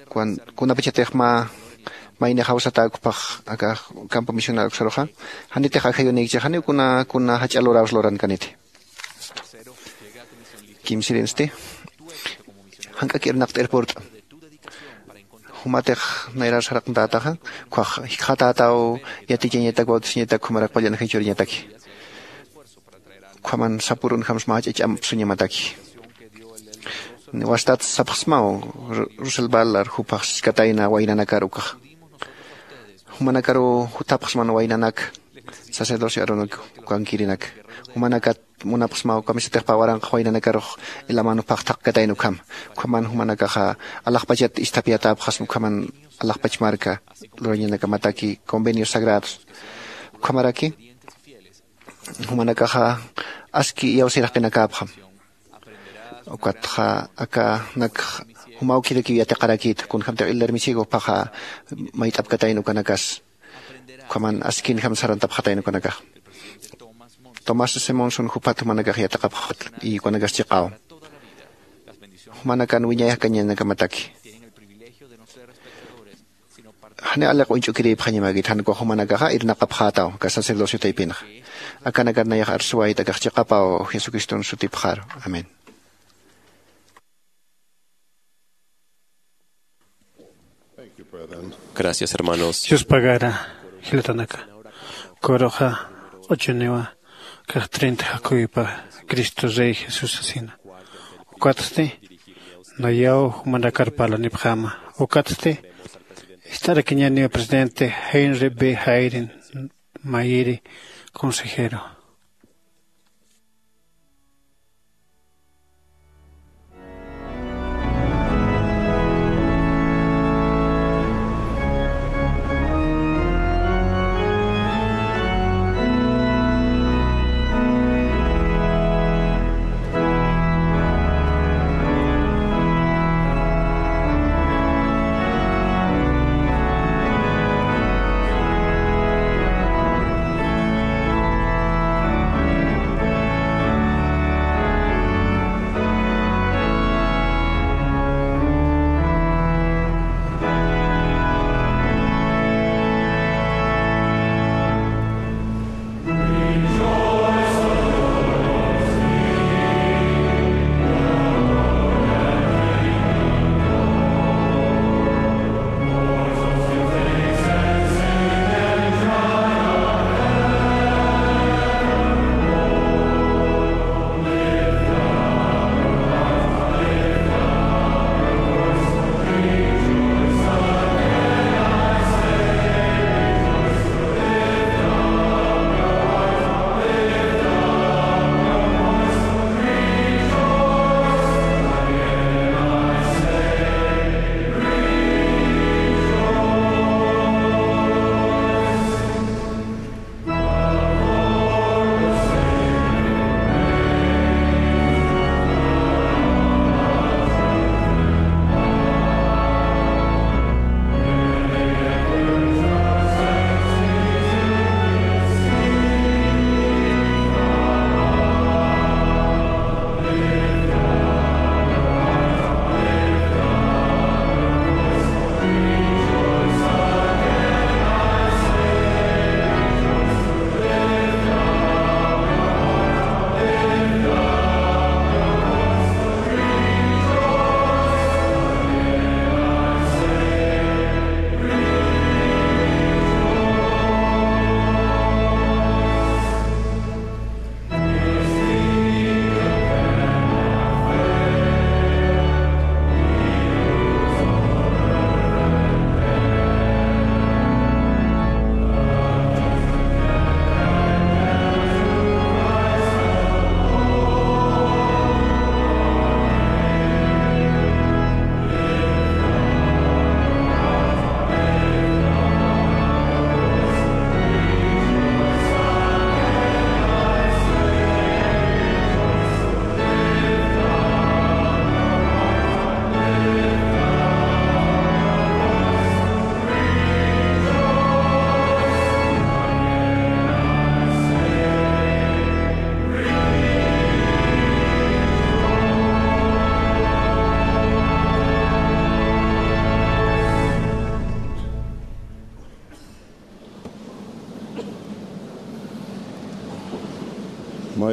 Kuan-, kunapachatix mä, maynix jawsatäkpax aka campo misional uksaruxa. Janitix ajayunïkchix, janiw kuna, kuna jach'a luräws lurankaniti. Kimsirinsti, jank'ak irnaqt'ir purt'a. Jumatix nayrar saraqntätaxa, ukkhax jikxatätaw yatichañatak, bautizañatak, ukhamaraki qullan ajay churiñataki. Ukhaman sapürunjamsa mä jach'a ch'amp suñamataki. Wastat sapxsmaw Ru-, Russell Ballard, jupax siskatayna waynanakar ukax. Jumanakaru jutapxsman waynanak sacerdocio Aaronak ukankirinak. Jumanakat munapxsmaw kamisatix pä waranqax waynanakarux ilaman jupax thaqkatayna ukham. Ukhaman jumanakaxa alaxpachat isthapyatäpxasma ukhaman alaxpach marka lurañanakamataki convenios sagrados. Ukhamaraki jumanakaxa aski iyawsiraqinakäpxam. Ukatxa akanak juma awkirakiw yatiqarakïta, kunjamtix Elder Misigo jupaxa mayt'apkatayna ukanakas. Ukhaman askinjam sarantapxatayna ukanakax. Tomás S. Monson jupat jumanakax yatiqapxat, y ukanakas chiqaw. Jumanakan wiñay jakañanakamataki. Janiw aliq uñch'ukirïpxañamäkit, jan ukax jumanakaxa irnaqapxätaw aka sacerdocio taypinxa. Akanakat nayax arsuwayta akax chiqapaw Jesucriston sutipxaru. Amén. Gracias, hermanos. Dios pagara, jilatanaka. Kuruxa q'uchuniwa, kax treinta jakuypa, Cristo Rey Jesús asina. Ukatsti nayaw jumanakar parlanipxäma. Ukatsti ist'arakiñäniwa presidente Henry B. Hayden Mayri, consejero.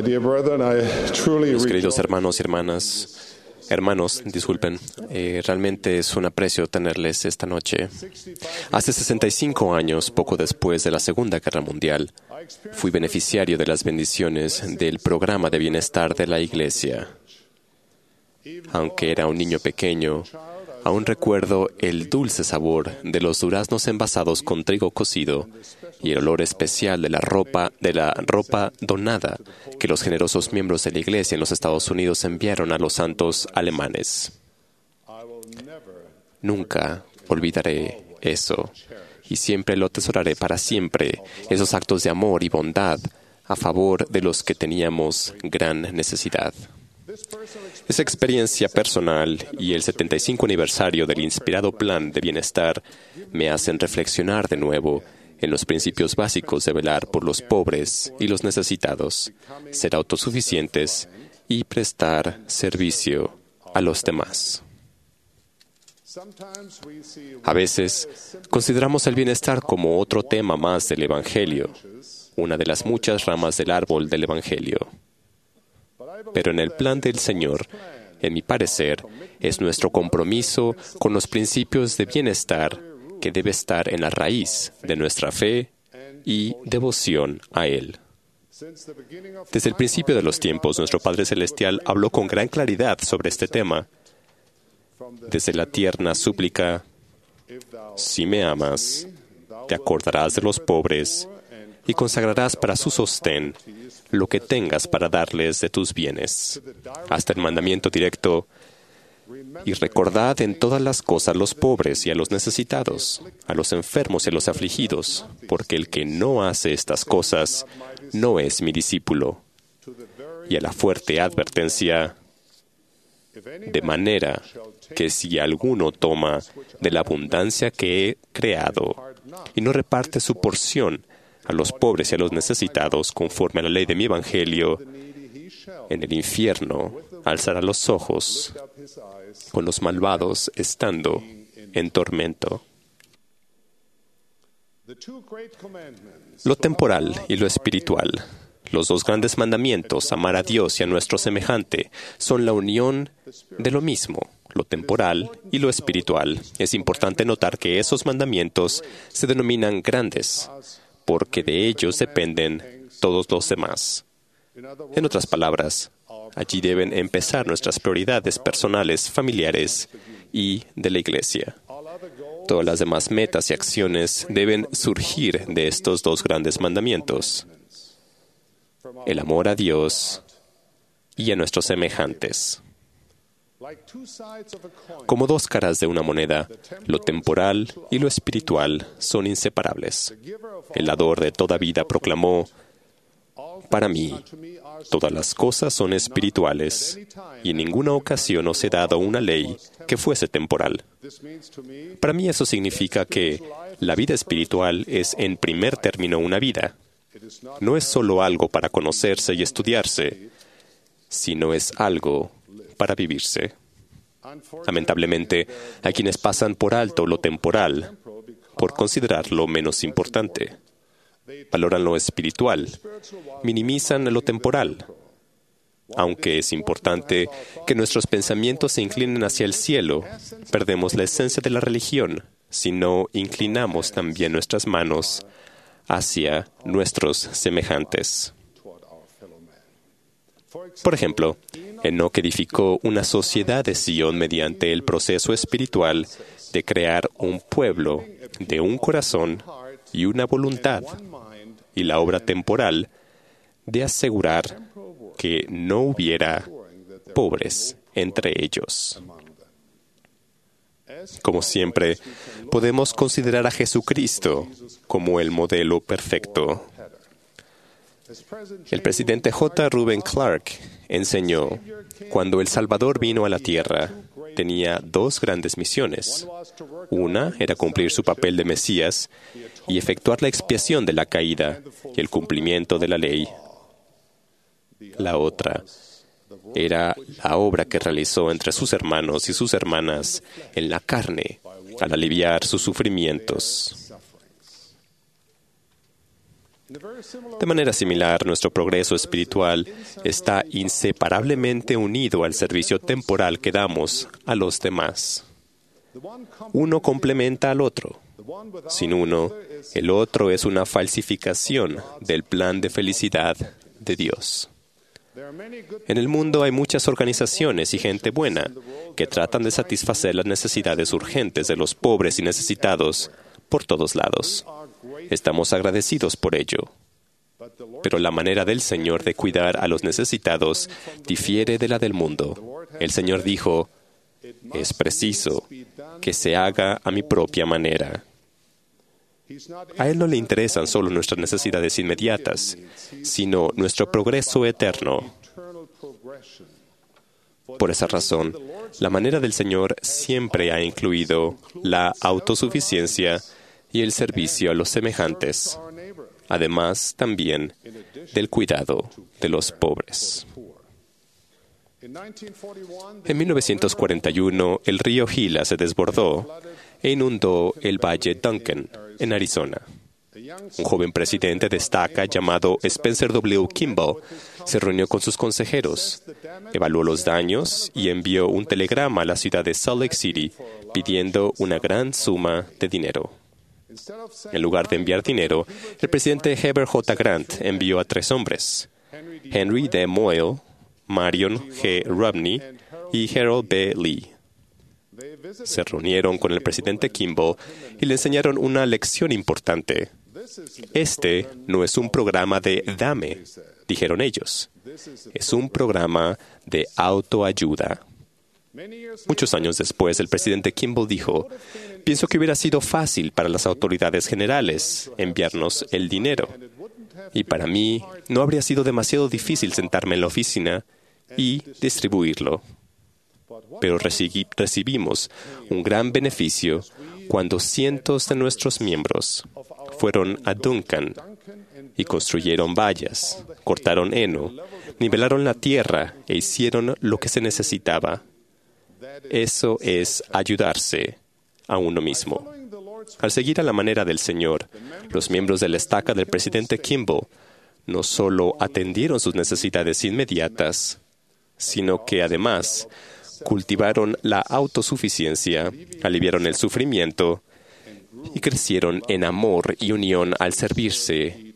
Dear brethren, I truly Mis queridos rejoice hermanos y hermanas, hermanos, disculpen, eh, realmente es un aprecio tenerles esta noche. Hace sesenta y cinco años, poco después de la Segunda Guerra Mundial, fui beneficiario de las bendiciones del programa de bienestar de la Iglesia. Aunque era un niño pequeño, aún recuerdo el dulce sabor de los duraznos envasados con trigo cocido y el olor especial de la ropa, de la ropa donada que los generosos miembros de la Iglesia en los Estados Unidos enviaron a los santos alemanes. Nunca olvidaré eso, y siempre lo atesoraré para siempre, esos actos de amor y bondad a favor de los que teníamos gran necesidad. Esa experiencia personal y el setenta y cinco aniversario del inspirado plan de bienestar me hacen reflexionar de nuevo en los principios básicos de velar por los pobres y los necesitados, ser autosuficientes y prestar servicio a los demás. A veces, consideramos el bienestar como otro tema más del Evangelio, una de las muchas ramas del árbol del Evangelio. Pero en el plan del Señor, en mi parecer, es nuestro compromiso con los principios de bienestar que debe estar en la raíz de nuestra fe y devoción a Él. Desde el principio de los tiempos, nuestro Padre Celestial habló con gran claridad sobre este tema. Desde la tierna súplica: "Si me amas, te acordarás de los pobres y consagrarás para su sostén lo que tengas para darles de tus bienes", hasta el mandamiento directo: "Y recordad en todas las cosas los pobres y a los necesitados, a los enfermos y a los afligidos, porque el que no hace estas cosas no es mi discípulo". Y a la fuerte advertencia: "De manera que si alguno toma de la abundancia que he creado y no reparte su porción a los pobres y a los necesitados conforme a la ley de mi evangelio, en el infierno alzará los ojos con los malvados estando en tormento". Lo temporal y lo espiritual, los dos grandes mandamientos, amar a Dios y a nuestro semejante, son la unión de lo mismo, lo temporal y lo espiritual. Es importante notar que esos mandamientos se denominan grandes, porque de ellos dependen todos los demás. En otras palabras, allí deben empezar nuestras prioridades personales, familiares y de la iglesia. Todas las demás metas y acciones deben surgir de estos dos grandes mandamientos: el amor a Dios y a nuestros semejantes. Como dos caras de una moneda, lo temporal y lo espiritual son inseparables. El dador de toda vida proclamó: "Para mí, todas las cosas son espirituales, y en ninguna ocasión os he dado una ley que fuese temporal". Para mí eso significa que la vida espiritual es en primer término una vida. No es solo algo para conocerse y estudiarse, sino es algo para vivirse. Lamentablemente, hay quienes pasan por alto lo temporal por considerarlo menos importante. Valoran lo espiritual, minimizan lo temporal. Aunque es importante que nuestros pensamientos se inclinen hacia el cielo, perdemos la esencia de la religión si no inclinamos también nuestras manos hacia nuestros semejantes. Por ejemplo, Enoc edificó una sociedad de Sion mediante el proceso espiritual de crear un pueblo de un corazón y una voluntad, y la obra temporal de asegurar que no hubiera pobres entre ellos. Como siempre, podemos considerar a Jesucristo como el modelo perfecto. El presidente J. Reuben Clark enseñó: "Cuando el Salvador vino a la tierra, tenía dos grandes misiones. Una era cumplir su papel de Mesías y efectuar la expiación de la caída y el cumplimiento de la ley. La otra era la obra que realizó entre sus hermanos y sus hermanas en la carne al aliviar sus sufrimientos". De manera similar, nuestro progreso espiritual está inseparablemente unido al servicio temporal que damos a los demás. Uno complementa al otro. Sin uno, el otro es una falsificación del plan de felicidad de Dios. En el mundo hay muchas organizaciones y gente buena que tratan de satisfacer las necesidades urgentes de los pobres y necesitados por todos lados. Estamos agradecidos por ello. Pero la manera del Señor de cuidar a los necesitados difiere de la del mundo. El Señor dijo: "Es preciso que se haga a mi propia manera". A Él no le interesan solo nuestras necesidades inmediatas, sino nuestro progreso eterno. Por esa razón, la manera del Señor siempre ha incluido la autosuficiencia y el servicio a los semejantes, además también del cuidado de los pobres. En mil novecientos cuarenta y uno, el río Gila se desbordó e inundó el Valle Duncan, en Arizona. Un joven presidente de estaca llamado Spencer W. Kimball se reunió con sus consejeros, evaluó los daños y envió un telegrama a la ciudad de Salt Lake City pidiendo una gran suma de dinero. En lugar de enviar dinero, el presidente Heber J. Grant envió a tres hombres: Henry D. Moyle, Marion G. Romney y Harold B. Lee. Se reunieron con el presidente Kimball y le enseñaron una lección importante. "Este no es un programa de dame", dijeron ellos. "Es un programa de autoayuda". Muchos años después, el presidente Kimball dijo: "Pienso que hubiera sido fácil para las autoridades generales enviarnos el dinero. Y para mí no habría sido demasiado difícil sentarme en la oficina y distribuirlo". Pero recibi-, recibimos un gran beneficio cuando cientos de nuestros miembros fueron a Duncan y construyeron vallas, cortaron heno, nivelaron la tierra e hicieron lo que se necesitaba. Eso es ayudarse a uno mismo. Al seguir a la manera del Señor, los miembros de la estaca del presidente Kimball no solo atendieron sus necesidades inmediatas, sino que además cultivaron la autosuficiencia, aliviaron el sufrimiento y crecieron en amor y unión al servirse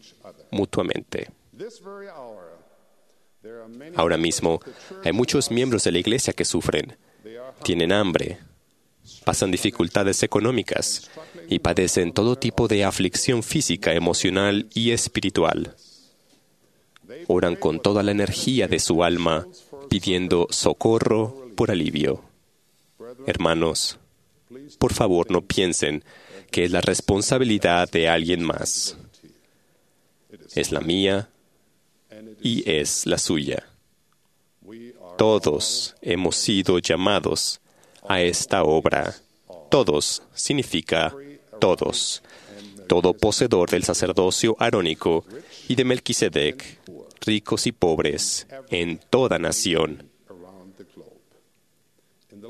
mutuamente. Ahora mismo hay muchos miembros de la iglesia que sufren, tienen hambre, pasan dificultades económicas y padecen todo tipo de aflicción física, emocional y espiritual. Oran con toda la energía de su alma pidiendo socorro por alivio. Hermanos, por favor, no piensen que es la responsabilidad de alguien más. Es la mía y es la suya. Todos hemos sido llamados a esta obra. Todos significa todos. Todo poseedor del sacerdocio arónico y de Melquisedec, ricos y pobres, en toda nación.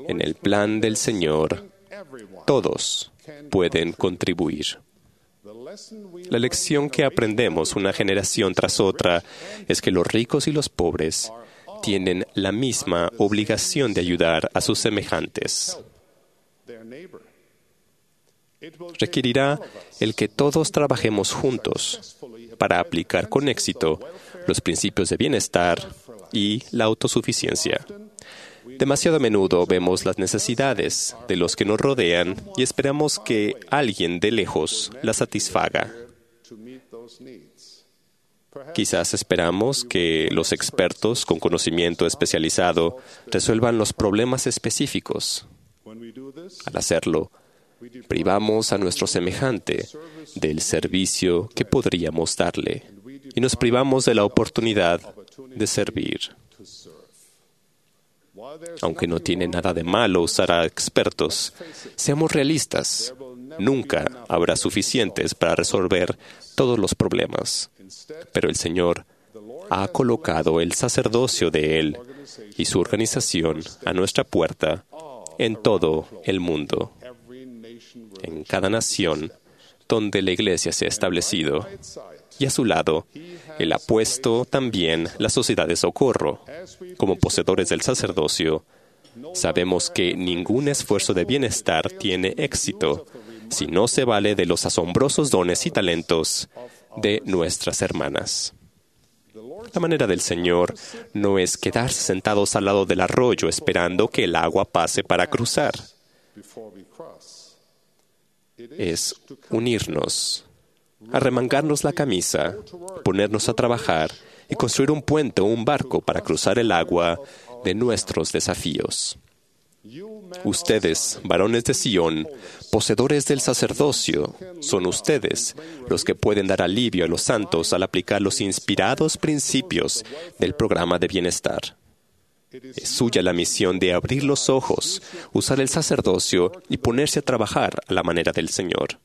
En el plan del Señor, todos pueden contribuir. La lección que aprendemos una generación tras otra es que los ricos y los pobres tienen la misma obligación de ayudar a sus semejantes. Requerirá el que todos trabajemos juntos para aplicar con éxito los principios de bienestar y la autosuficiencia. Demasiado a menudo vemos las necesidades de los que nos rodean y esperamos que alguien de lejos las satisfaga. Quizás esperamos que los expertos con conocimiento especializado resuelvan los problemas específicos. Al hacerlo, privamos a nuestro semejante del servicio que podríamos darle y nos privamos de la oportunidad de servir. Aunque no tiene nada de malo usar a expertos, seamos realistas, nunca habrá suficientes para resolver todos los problemas. Pero el Señor ha colocado el sacerdocio de Él y su organización a nuestra puerta en todo el mundo, en cada nación donde la iglesia se ha establecido. Y a su lado, Él ha puesto también la sociedad de socorro. Como poseedores del sacerdocio, sabemos que ningún esfuerzo de bienestar tiene éxito si no se vale de los asombrosos dones y talentos de nuestras hermanas. La manera del Señor no es quedarse sentados al lado del arroyo esperando que el agua pase para cruzar. Es unirnos, arremangarnos la camisa, ponernos a trabajar y construir un puente o un barco para cruzar el agua de nuestros desafíos. Ustedes, varones de Sión, poseedores del sacerdocio, son ustedes los que pueden dar alivio a los santos al aplicar los inspirados principios del programa de bienestar. Es suya la misión de abrir los ojos, usar el sacerdocio y ponerse a trabajar a la manera del Señor.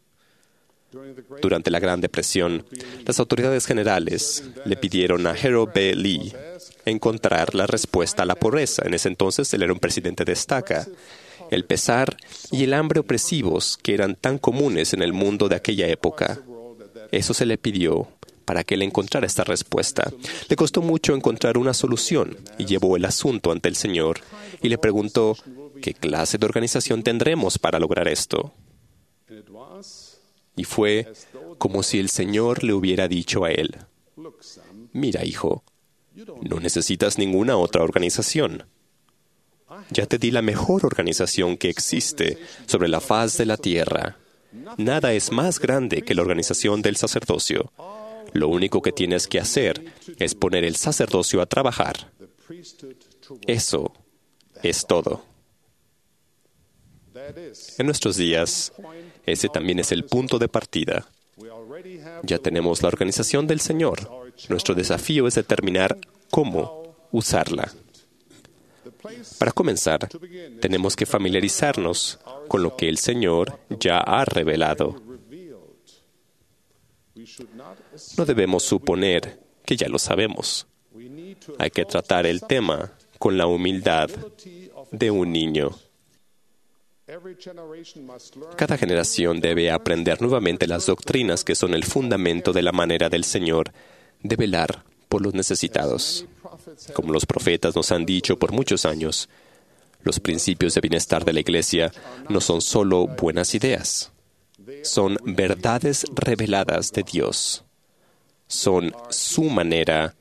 Durante la Gran Depresión, las autoridades generales le pidieron a Harold B. Lee encontrar la respuesta a la pobreza. En ese entonces él era un presidente de estaca. El pesar y el hambre opresivos que eran tan comunes en el mundo de aquella época. Eso se le pidió para que él encontrara esta respuesta. Le costó mucho encontrar una solución y llevó el asunto ante el Señor y le preguntó: ¿qué clase de organización tendremos para lograr esto? Y fue como si el Señor le hubiera dicho a él: mira, hijo, no necesitas ninguna otra organización. Ya te di la mejor organización que existe sobre la faz de la tierra. Nada es más grande que la organización del sacerdocio. Lo único que tienes que hacer es poner el sacerdocio a trabajar. Eso es todo. En nuestros días, ese también es el punto de partida. Ya tenemos la organización del Señor. Nuestro desafío es determinar cómo usarla. Para comenzar, tenemos que familiarizarnos con lo que el Señor ya ha revelado. No debemos suponer que ya lo sabemos. Hay que tratar el tema con la humildad de un niño. Cada generación debe aprender nuevamente las doctrinas que son el fundamento de la manera del Señor de velar por los necesitados. Como los profetas nos han dicho por muchos años, los principios de bienestar de la Iglesia no son solo buenas ideas, son verdades reveladas de Dios. Son su manera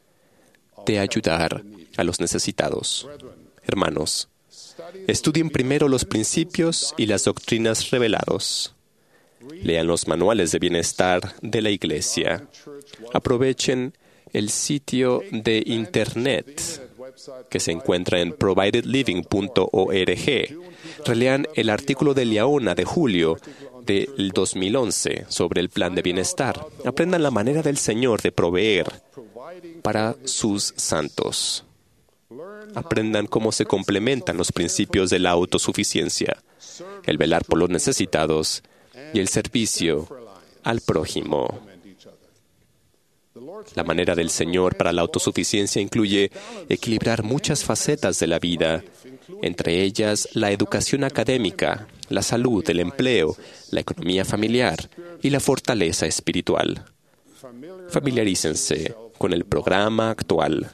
de ayudar a los necesitados. Hermanos, estudien primero los principios y las doctrinas revelados. Lean los manuales de bienestar de la Iglesia. Aprovechen el sitio de Internet que se encuentra en provided living punto org. Relean el artículo de Liahona de julio del dos mil once sobre el plan de bienestar. Aprendan la manera del Señor de proveer para sus santos. Aprendan cómo se complementan los principios de la autosuficiencia, el velar por los necesitados y el servicio al prójimo. La manera del Señor para la autosuficiencia incluye equilibrar muchas facetas de la vida, entre ellas la educación académica, la salud, el empleo, la economía familiar y la fortaleza espiritual. Familiarícense con el programa actual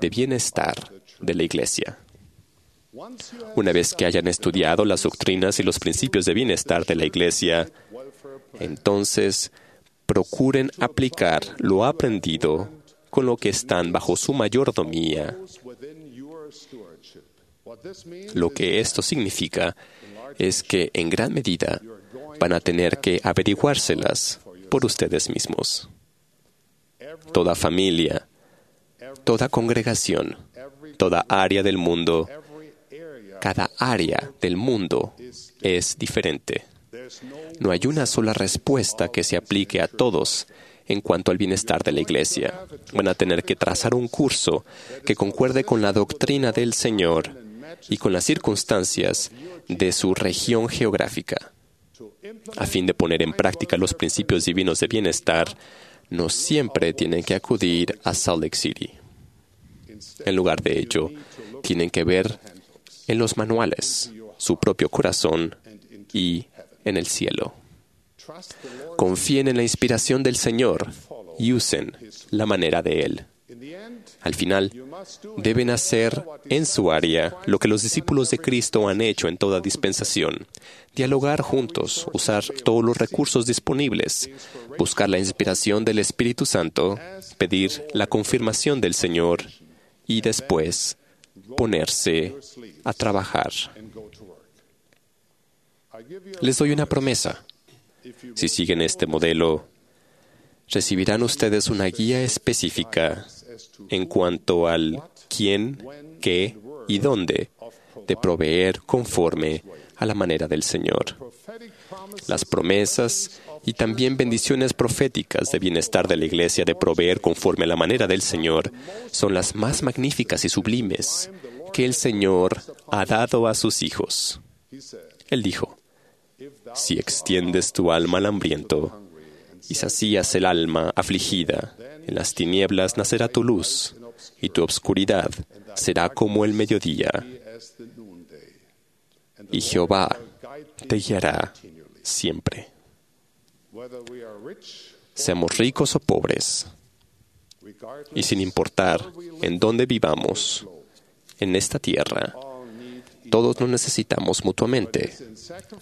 de bienestar de la Iglesia. Una vez que hayan estudiado las doctrinas y los principios de bienestar de la Iglesia, entonces procuren aplicar lo aprendido con lo que están bajo su mayordomía. Lo que esto significa es que en gran medida van a tener que averiguárselas por ustedes mismos. Toda familia, toda congregación, toda área del mundo, cada área del mundo es diferente. No hay una sola respuesta que se aplique a todos en cuanto al bienestar de la Iglesia. Van a tener que trazar un curso que concuerde con la doctrina del Señor y con las circunstancias de su región geográfica. A fin de poner en práctica los principios divinos de bienestar, no siempre tienen que acudir a Salt Lake City. En lugar de ello, tienen que ver en los manuales, su propio corazón y en el cielo. Confíen en la inspiración del Señor y usen la manera de Él. Al final, deben hacer en su área lo que los discípulos de Cristo han hecho en toda dispensación: dialogar juntos, usar todos los recursos disponibles, buscar la inspiración del Espíritu Santo, pedir la confirmación del Señor y después ponerse a trabajar. Les doy una promesa. Si siguen este modelo, recibirán ustedes una guía específica en cuanto al quién, qué y dónde de proveer conforme a la manera del Señor. Las promesas y también bendiciones proféticas de bienestar de la iglesia de proveer conforme a la manera del Señor son las más magníficas y sublimes que el Señor ha dado a sus hijos. Él dijo: "Si extiendes tu alma al hambriento y sacías el alma afligida, en las tinieblas nacerá tu luz, y tu obscuridad será como el mediodía, y Jehová te guiará siempre". Seamos ricos o pobres, y sin importar en dónde vivamos en esta tierra, todos nos necesitamos mutuamente,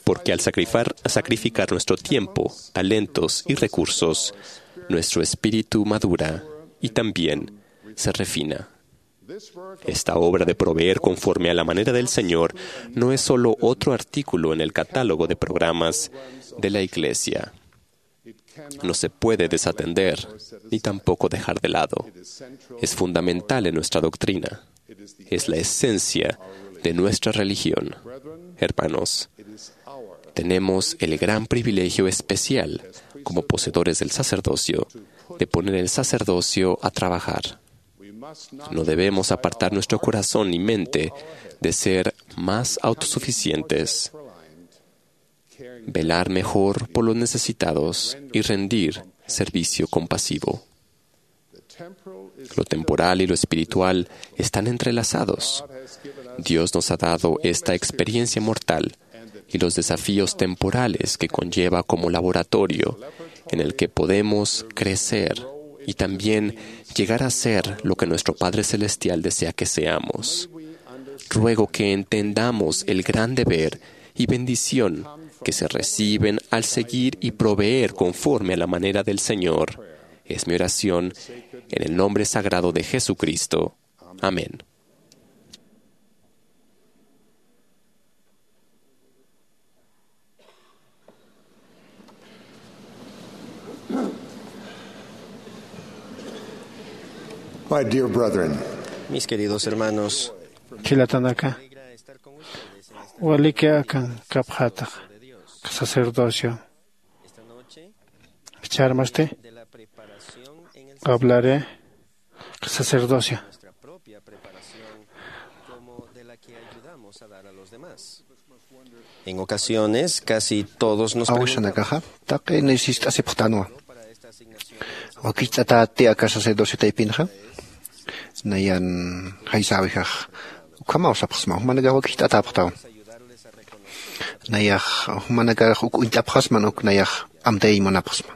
porque al sacrifar-, sacrificar nuestro tiempo, talentos y recursos, nuestro espíritu madura y también se refina. Esta obra de proveer conforme a la manera del Señor no es solo otro artículo en el catálogo de programas de la iglesia. No se puede desatender ni tampoco dejar de lado. Es fundamental en nuestra doctrina. Es la esencia de nuestra religión. Hermanos, tenemos el gran privilegio especial, como poseedores del sacerdocio, de poner el sacerdocio a trabajar. No debemos apartar nuestro corazón ni mente de ser más autosuficientes, velar mejor por los necesitados y rendir servicio compasivo. Lo temporal y lo espiritual están entrelazados. Dios nos ha dado esta experiencia mortal y los desafíos temporales que conlleva como laboratorio en el que podemos crecer y también llegar a ser lo que nuestro Padre Celestial desea que seamos. Ruego que entendamos el gran deber y bendición que se reciben al seguir y proveer conforme a la manera del Señor. Es mi oración en el nombre sagrado de Jesucristo. Amén. My dear brethren, mis queridos hermanos, jilatanaka, waliki akankapxätax sacerdocio. Jichhärmasti hablaré sacerdocio. En ocasiones, casi todos nos preguntamos, awisanakaxa taqini sist'asipxtanwa, wakicht'atäti aka sacerdocio taypinxa, nayan jaysäwixax ukhamaw sapxsma, jumanakax wakicht'atäpxtaw. Nayax jumanakarax uk uñt'apxasman, uk nayax amtayañ munapxsma.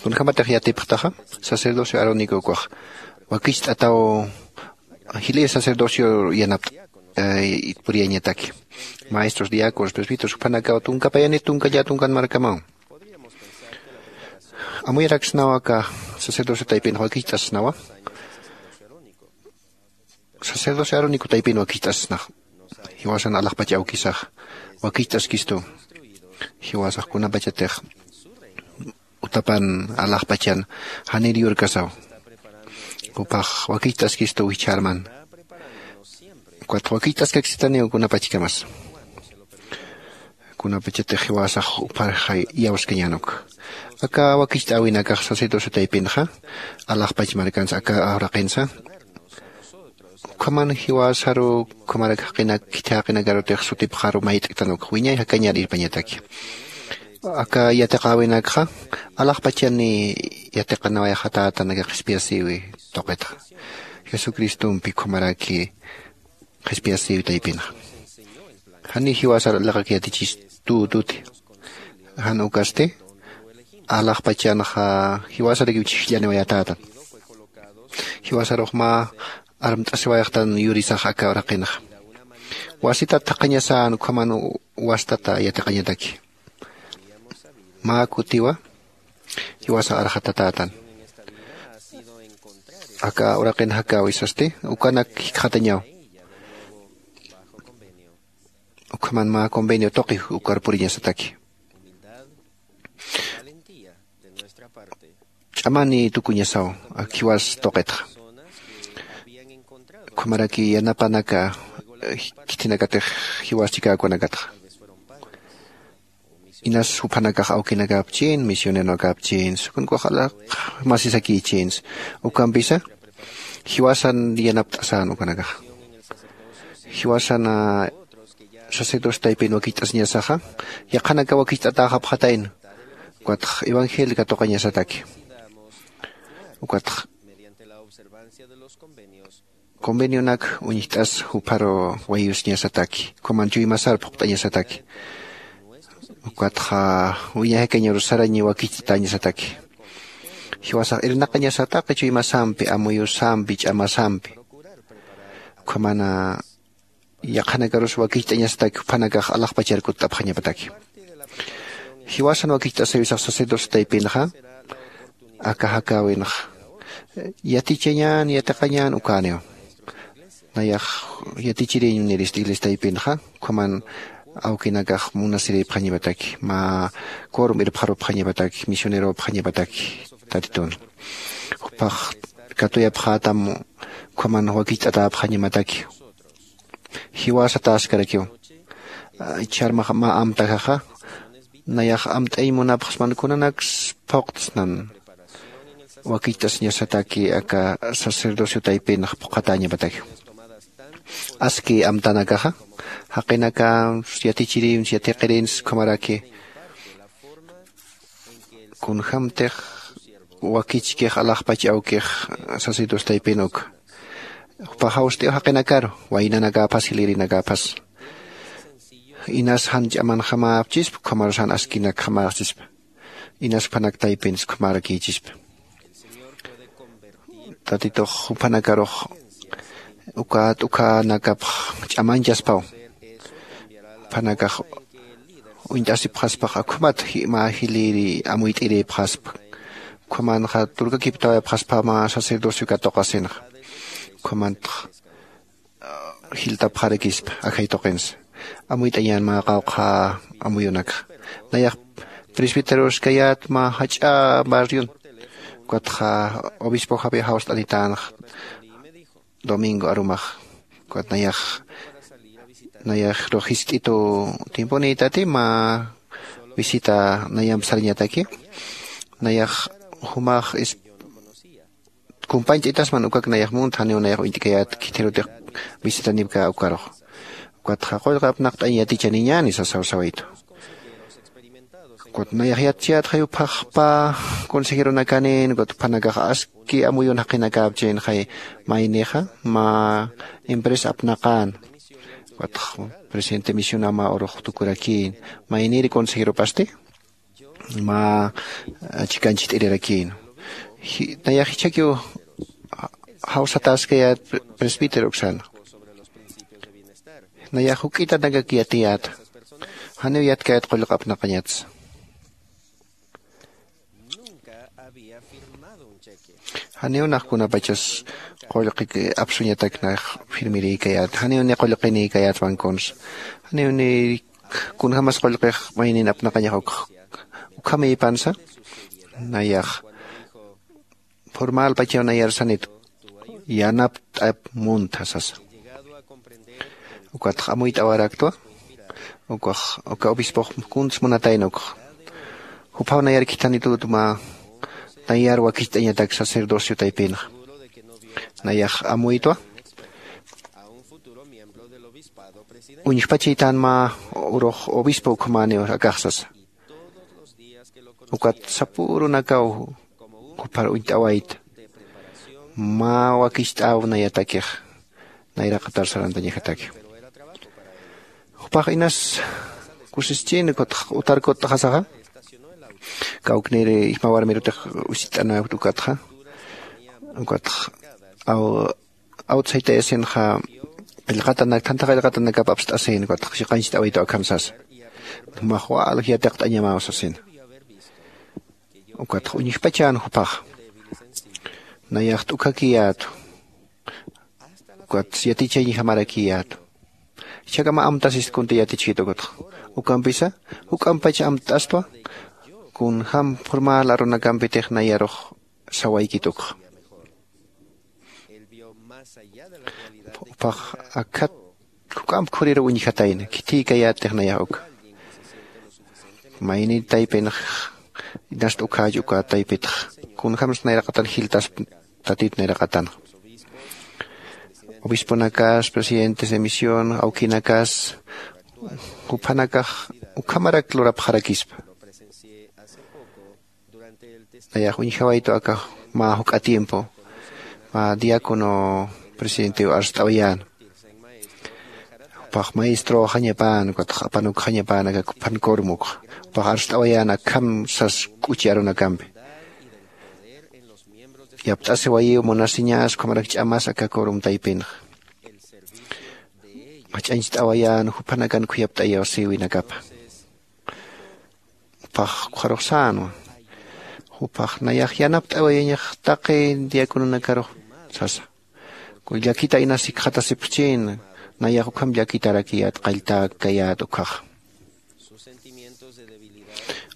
Kunjamatix yatipxtaxa, sacerdocio arónico ukax wakicht'ataw jilïr sacerdocio yanapt'a, eh, puriyañataki. Maestros, diáconos, presbíteros, jupanakaw tunka payanit tunka llätunkan markamaw. Amuyaraksnawa aka sacerdocio taypin wakicht'asnawa. Sacerdocio arónico taypin wakicht'asnax. Jiwasan alaxpach awkisax wakicht'askistu. Jiwasax kunapachatix utapan alaxpachan janir yurkasaw, jupax wakicht'askistu jichhärman. Ukat wakicht'askaksitaniw kunapachkamas. Kunapachatix jiwasax jupax iyawskañän uk. Aka wakicht'äwinakax sacerdocio taypinxa, alaxpach markansa aka uraqinsa, ukhaman jiwasaru, ukhamarak jaqinak, khitha jaqinakarutix sutipxaru mayt'ktan uk, wiñay jakañar irpañataki. Aka yatiqäwinakxa alaxpachani yatiqanawayxatätan aka qhispiyasïwi tuqitxa. Jesucristompi ukhamaraki qhispiyasïwi taypinxa. Jani jiwasar liqak yatichis tututi. Jan ukasti alaxpachanxa jiwasarakiw chhijllaniwayatätan. Jiwasarux mä armt'asiwayxtan yurisax aka uraqinxa. Wasitat thaqhañasän ukhaman wastata yatiqañataki. Mä kutiwa jiwasax arxatatätan. Aka uraqin jakäwi sasti ukanak jikxatañaw. Ukhaman mä convenio tuqi ukar puriñasataki. Ch'amani tukuñasaw ak jiwas tuqitxa. Ukhamaraki yanapanaka khithinakatix jiwas chikäkunakatxa. Inas juphanakax awkinakäpchïn misioneronakäpchïns kunkuxalaq masisakïchïns. Ukampisa jiwasan yanapt'asän ukanakax. Jiwasan sacerdocio taypin wakicht'asiñasaxa yaqhanaka wakicht'atäxapxatayna. Ukatx evangelio katuqañasataki. Ukatx convenionak uñjt'as jupharu wayusiñasataki ukhaman chuymasar phuqt'añasataki. Ukatxa wiñajikañaru sarañi wakicht'atäñasataki. Jiwasax irnaqañasataki chuymasampi amuyusampi ch'amasampi. Ukhamana yaqhanakarus wakicht'añasataki juphanakax alaxpachar kutt'apxañapataki. Jiwasan wakicht'asiwisax sacerdocio taypinxa aka jakäwinxa yatichañän yatiqañän ukäniw. Nayax yatichiriñ nirist iglesia taypinxa ukhaman awkinakax munasirïpxañapataki mä corom irpxarupxañapataki misioneropxañapataki. Tatitun jupax katuyapxätam ukhaman wakicht'atäpxañamataki. Jiwasa taskarakiw. Chharmax mä amtajaxa nayax amt'añ munapxsman kunanaks phuqtsnan wakicht'asiñasataki aka sacerdocio taypinx phuqhatäñapataki. Aski amtanakaxa jaqinaka yatichirïns yatiqirïns ukhamaraki kunjämtix wakichkix alaxpach awkix sacerdocio taypin uka jupax jawst'iw jaqinakaru waynanakäphas jilïrinakäphas. Inas jan ch'amanjamäpchispa ukhamarus jan askinakjamäxchispa. Inas juphanak taypinsa ukhamärakïchispa. Tatitux juphanakarux ukat ukhanakapx ch'amañchaspaw. Juphanakax uñt'asipxaspax ukhamat mä jilïri amuyt'irïpxaspa. Ukhamanxa turkakiptawayapxaspa mä sacerdocio katuqasinxa. Ukhamantx jiltapxarakispa ajay tuqinsa. Amuyt'añän mä qawqha amuyunakxa. Nayax presbiteroskayät mä jach'a barrion. Ukatxa obispo javier jawst'anitänxa domingo arumax. Ukat nayax nayaxrux jist'itu tiemponïtati mä visita nayamp sarañataki. Nayax jumax kumpañt'itasman ukak nayax munt janiw nayax uñt'kayät khithirutix visitanipkä ukarux. Ukatxa qullqi apnaqt'añ yatichaniñäni sasaw sawaytu. Ukat nayax yatchayät jayupxaxpa consejeronakanïn ukat juphanakax aski amuyun jaqinakäpchïn jay maynixa mä empresa apnaqän. Ukatx presidente misionama urux tukurakïn maynïri consejeropasti mä chikanchit'irirakïn. Nayax jichhakiw jawsatäskayät presbítero uksan. Nayax juk'itanakak yatiyät janiw yatkayät qullqi apnaqañatsa. Janiw nax kunapachas qullqi apsuñatak nax firmirïkayät janiw ni qullqinïkayät banconsa. Janiw ni kunjämas qullqix maynin apnaqañax ukx ukhamïpansa. Nayax formalpachaw nayar sanit yanapt'ap muntha sasa. Ukatx amuyt'awaraktwa. Ukax uka obispox kuns munatayna ukx juphaw nayar khithanitüt mä nayar wakicht'añatak sacerdocio taypinxa. Nayax amuytwa uñjpachaytan mä urux obispo ukhamäniw akax sasa. Ukat sapürunakaw juphar uñt'awayta mä wakicht'äw nayatakix nayraqatar sarantañajataki. Jupax inas kusischin ukat utar kutt'xasaxa Kawkniri ijmawarmirutix usit'anawkta ukatxa. Ukatx aw awtsaytayasinxa qillqatanak thantha qillqatanakap apst'asin ukatx chiqancht'awaytu akham sasa. Jumax wal yatiqt'añamaw sasina. Ukatx uñjpachan juphax nayax t'ukhakiyätu. Ukat yatichañjamarakiyätu. Jichhakama amtasist kunti yatichkit ukatxa. Ukampisa juk'ampach amt'astwa. Kunjäm formal arunakampitix nayarux sawaykit ukxa. Juphax akhat juk'amp khuriru uñjatayna khithïkayättix nayax uka. Mayni taypinx inast ukhäch uka taypitx kunjämsa nayraqatan jiltasp tatit nayraqatanxa. Obisponakas presidentes de misión awkinakas juphanakax ukhamarak lurapxarakispa. Nayax uñjawaytu aka mä juk'a tiempo mä diácono presidentew arst'awayäna. Jupax maestroxañapän ukatx apanukxañapän aka kuphan cormukxa. Jupax arst'awayän akham sas k'uchi arunakampi. Yapt'asiwayiw munasiñas ukhamarak ch'amas aka corum taypinxa. Jach'añcht'awayän juphanakan khuyapt'ayawsiwinakapa. Jupax ukxarux sänwa. Jupax nayax yanapt'awayañax taqi diacononakarux sasa. Llakita inas jikxatasipxchïna. Nayax ukham llakitarakiyät qalltäkayät ukhaxa.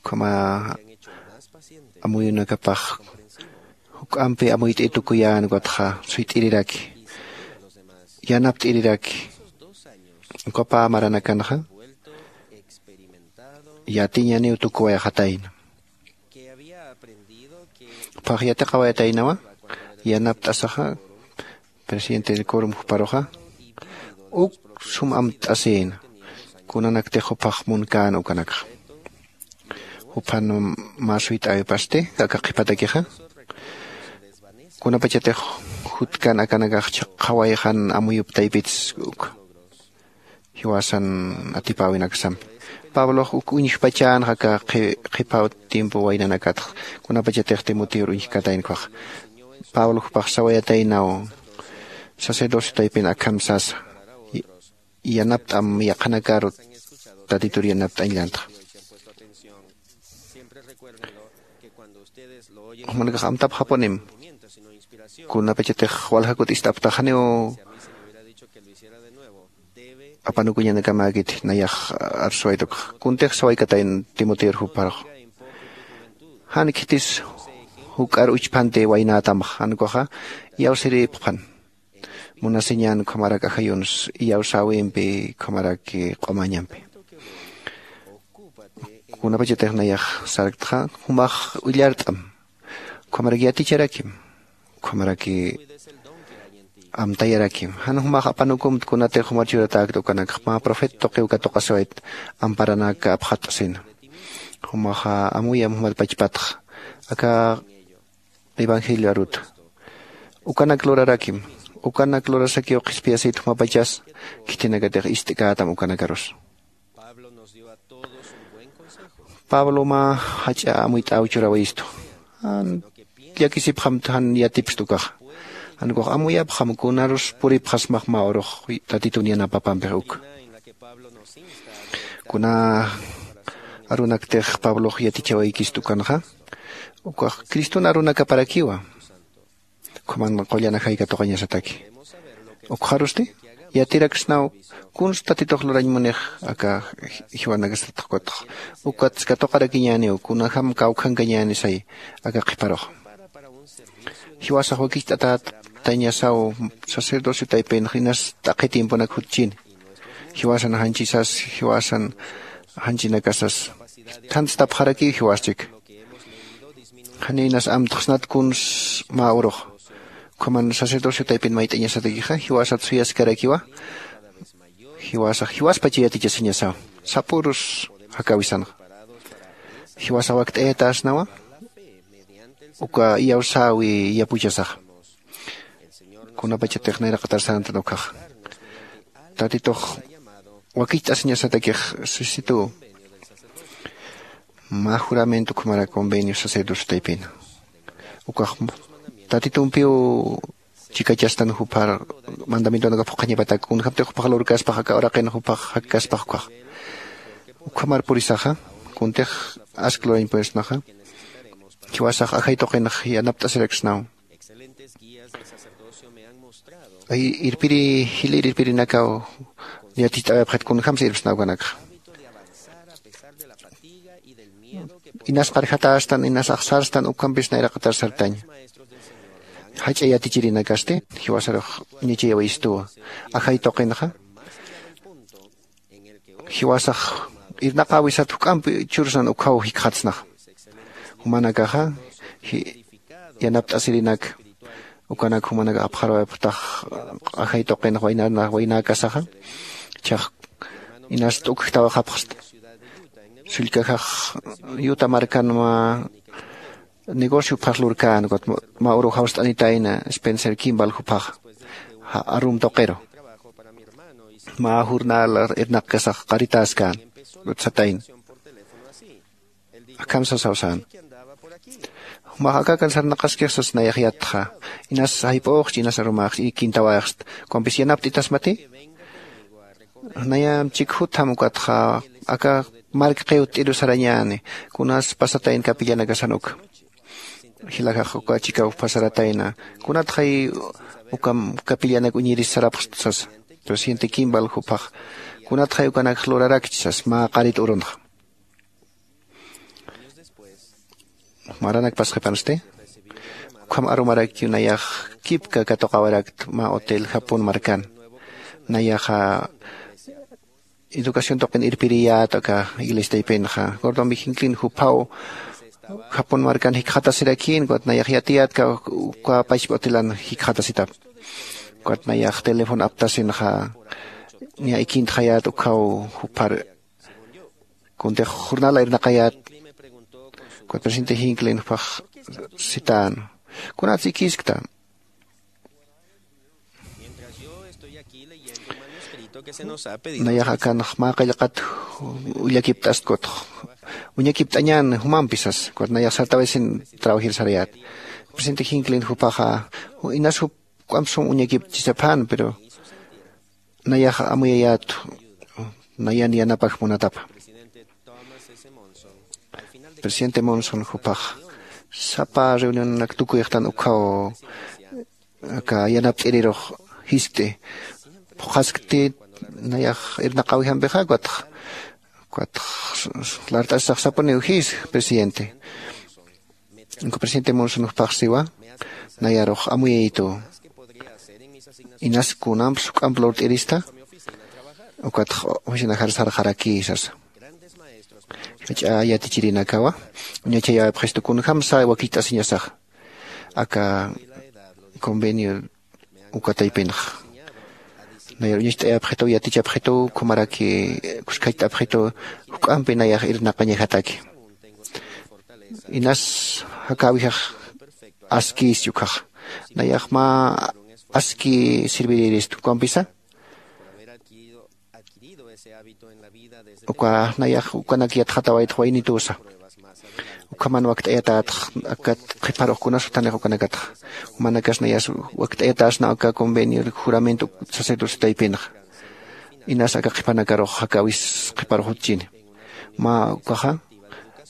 Ukhama amuyunakapax juk'ampi amuyt'i tukuyän ukatxa suyt'iriraki yanapt'iriraki. Ukapä maranakanxa yatiñaniw tukuwayxatayna. Phax yatiqawayataynawa yanapt'asaxa presidente del corum juparuxa uk sum amt'asïna. Kunanaktix juphax munkän ukanakxa juphan mä suyt'äwipasti aka qhipatakixa. Kunapachatix jutkan akanakax chhaqhawayxan amuyup taypits uk jiwasan atipäwinaksampi. Pablox uk uñjpachänxa aka qhiphaw tiempo waynanakatxa kunapachatix timoteor uñjkataynkwax. Pablo jupax sawayataynaw sacerdocio taypin akham sasa yanapt'am yaqhanakaru tatitur yanapt'añlantxa. Jumanakax amtapxapunim kunapachatix waljakut ist'aptaxaniw apanukuñanakamäkiti nayax arsuwaytukxa kuntix sawaykatayn timoteor juparux. Jan khitis juk'ar uchphanti waynätamxa jan ukaxa iyawsirïpxpan. Munasiñan ukhamarak ajayuns iyawsäwimpi ukhamaraki q'umañampi. Kunapachatix nayax sarktxa jumax willart'am ukhamarak yaticharakim ukhamarak amtayarakim jan jumax apanukumta kunatix jumar churatäkta ukanakxa mä profeta tuqiw katuqasiwayt amparanaka apxat'asina. Jumaxa amuyam jumat pachpatxa aka evangelio aruta. Ukanak lurarakim ukanak lurasakiw qhispiyasït jumapachas khithinakatix ist'kätam ukanakarusa. Pablo mä jach'a amuyt'äw churawayistu. Jan llakisipxamta jan yatipxta ukaxa. Jan ukax amuyapxam kunarus puripxasmax mä urux tatitun yanapapampix uka. Kuna arunaktix pablox yatichawaykista ukanxa ukax criston arunakaparakiwa. Ukhaman qullan ajay katuqañasataki. Ukxarusti yatiraksnaw kunsa tatitux lurañ munix aka jiwanakasatxkutx. Ukatsa katuqarakiñäniw kunajam kawkhankañänisay aka qhiparux. Jiwasax wakicht'atätañasaw sacerdocio taypinx inas t'aqhi tiemponak jutchini. Jiwasan janchisas jiwasan janchinakasas thantstapxarakiw jiwaschik. Janinas amtxsnat kuns mä urux. Ukhaman sacerdocio taypin mayt'añasatakixa jiwasat suyaskarakiwa. Jiwasax jiwaspacha yatichasiñasaw sapürus jakawisanxa. Jiwasax wakt'ayatäsnawa uka iyawsäwi yapuchasaxa. Kunapachatix nayraqatar sarantan ukhaxa tatitux wakicht'asiñasatakix sisituw. Mä juramento ukhamarak convenio sacerdocio taypina. Ukax tatitumpiw chikachastan jupar mandamientonaka phuqhañapatak kunjaptix jupax lurkaspax aka uraqin jupax jakkaspax ukax. Ukhamar purisaxa kuntix ask lurañ purisnaxa. Jiwasax ajay tuqinx yanapt'asiraksnaw. Ay irpiri jilir irpirinakaw yaticht'awayapxit kunjamsa irpsnaw kanakxa. Inas qarjatästan inas axsärstan ukhampis nayraqatar sartaña. Jach'a yatichirinakasti jiwasarux uñachayawayistuwa. Ajay tuqinxa jiwasax irnaqäwisat juk'ampi chursan ukhaw jikxatsnaxa. Jumanakaxa yanapt'asirinak ukanak jumanak apxarawayapxtax ajay tuqinx waynäkasaxa. Ichhax inas t'ukjtawayxapxsta. Sullkajax yuta markan mä negocio phaslurkän ukat mä uru jawst'anitayna spencer kimbal juphaxa arum tuqiru. Mä jurnal irnaqkasax qaritäskän utsatayna. Akham sasaw sän. Jumax akakan sarnaqaskix sas nayax yatxa. Inas jayp'uxchi inas arumaxchi ikintawayxsta. Kumpis yanapt'itasmati? Nayam chikjutham ukatxa aka mark qiw t'iru sarañäni. Kunas pasatayn kapillanakasan uka. Jilajax uka chikaw pasaratayna. Kunatxay ukam kapillanak uñiris sarapxsta sasa. Presidente kimbal juphax kunatxay ukanakx lurarakchi sas mä qarit urunxa. Maranak pasqipansti ukham arumarakiw nayax kipka katuqawarakta mä hotel japón markan. Nayaxa educación tuqin irpiriyät aka iglesia taypinxa gordon vijinclin juphaw japón markan jikxatasirakïn ukat nayax yatiyätka uka pachpa hotelan jikxatasitap. Ukat nayax teléfono aptasinxa niya ikintxayät ukhaw jupar kuntix jurnala irnaqayät. Ukat presidente jinclin jupax sitän kunats ikiskta? Nayax akanx mä qillqat ullakipt'ast kutx uñakipt'añän jumampi sas ukat nayax sartawisin trabajir sarayät. Presidente jinclin jupaxa inas jup k'uamp sum uñakipt'chisaphän pero nayax amuyayät nayan yanapak munatapa. Presidente monson jupax sapa reunionak tukuyxtan ukhaw aka yanapt'irirux jiskt'i phuqhaskti nayax irnaqäwijampixa ukatx ukatx lart'asisax sapuniw jis presidente. Uka presidente monson juphax siwa nayarux amuyayituw inas kunamps juk'amp lurt'irista ukatx oficinajar sarxarakï sasa. Jach'a yatichirinakawa uñachayäwayapxistu kunjamsa wakicht'asiñasaxa aka convenio uka taypinxa. Nayar uñacht'ayapxituw yatichapxituw ukhamaraki kuskhacht'apxitu juk'ampi nayax irnaqañajataki. Inas jakäwijax askïschi ukhaxa nayax mä aski sirvirirista juk'ampisa uka nayax ukanak yatxatawaytx waynitusa. Ukhaman wakt'ayatätx akat qhiparux kunas juthanix ukanakatxa jumanakas nayas wakt'ayatäsna aka convenio juramento sacerdocio taypinxa. Inas aka qhipanakarux jakäwis qhiparux jutchini mä ukaxa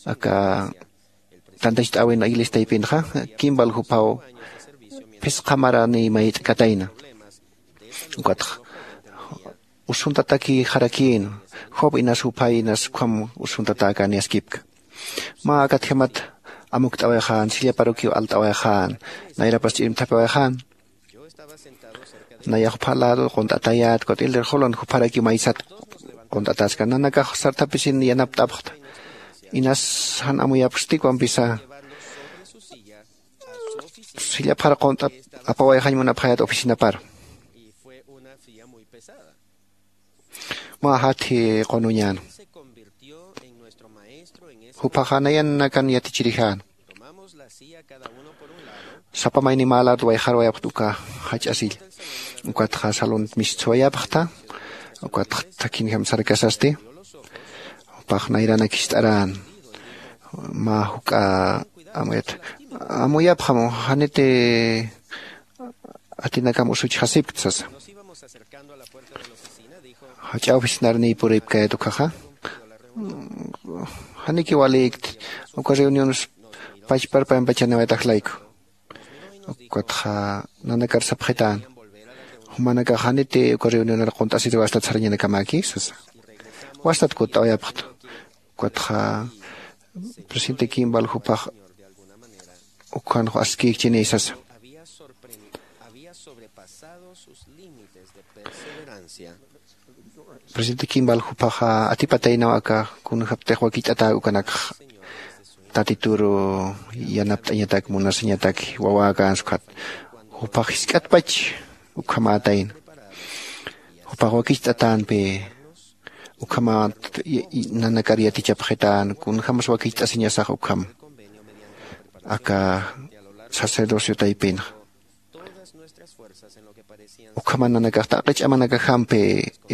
aka tantacht'äwin iglesia taypinxa kimbal juphaw phisqa maranï mayt'katayna. Ukatxa usuntatakïxarakïn job inas juphay inas ukham usuntatäkäni askipka. Mä akatjamat amukt'awayxän sillaparukiw alt'awayxän nayrapas ch'irimthapawayxän. Nayax jupha lado qunt'atayät ukat ildir julan jupharakiw maysat qunt'atäskan nanakax sarthapisin yanapt'apxta. Inas jan amuyapxsti kumpisa sillaphar qunt'at apawayxañ munapxayät oficinapar. Mä jathi qunuñän juphaxa nayan nakan yatichirijan. Sapa mayni mä lado wayxarwayapxta uka jach'asill. Ukatxa salon mistsuwayapxta ukatxa thakhinjam sarkasasti jupax nayranak jist'arän. Mä juk'a amuyat, amuyapxam, janiti atinakam usuchxasipkt sasa. Jach'a oficinarniy puripkayat ukhaxa, janiki walïkti, uka reuniones pachparpayampachaniwayatax layku. Ukatxa nanakar sapxitän, jumanakax janiti uka reunionar qunt'asiriw astat sarañanakamaki sasa. Wastat kutt'awayapxta. Ukatxa presidente Kimball jupax ukhanx askïkchini sasa. Presidente Kimball jupaxa atipataynaw aka kunjaptix wakicht'atäk ukanakx Tatituru yanapt'añatak munasiñataki wawäkänsa ukhat. Jupax jisk'atpach ukhamätayna. Jupax wakicht'atänpi ukhamat nanakar yatichapxitän kunjämas wakicht'asiñasax ukham aka sacerdocio taypinxa. Ukhama nanakax taqi ch'amanakajampi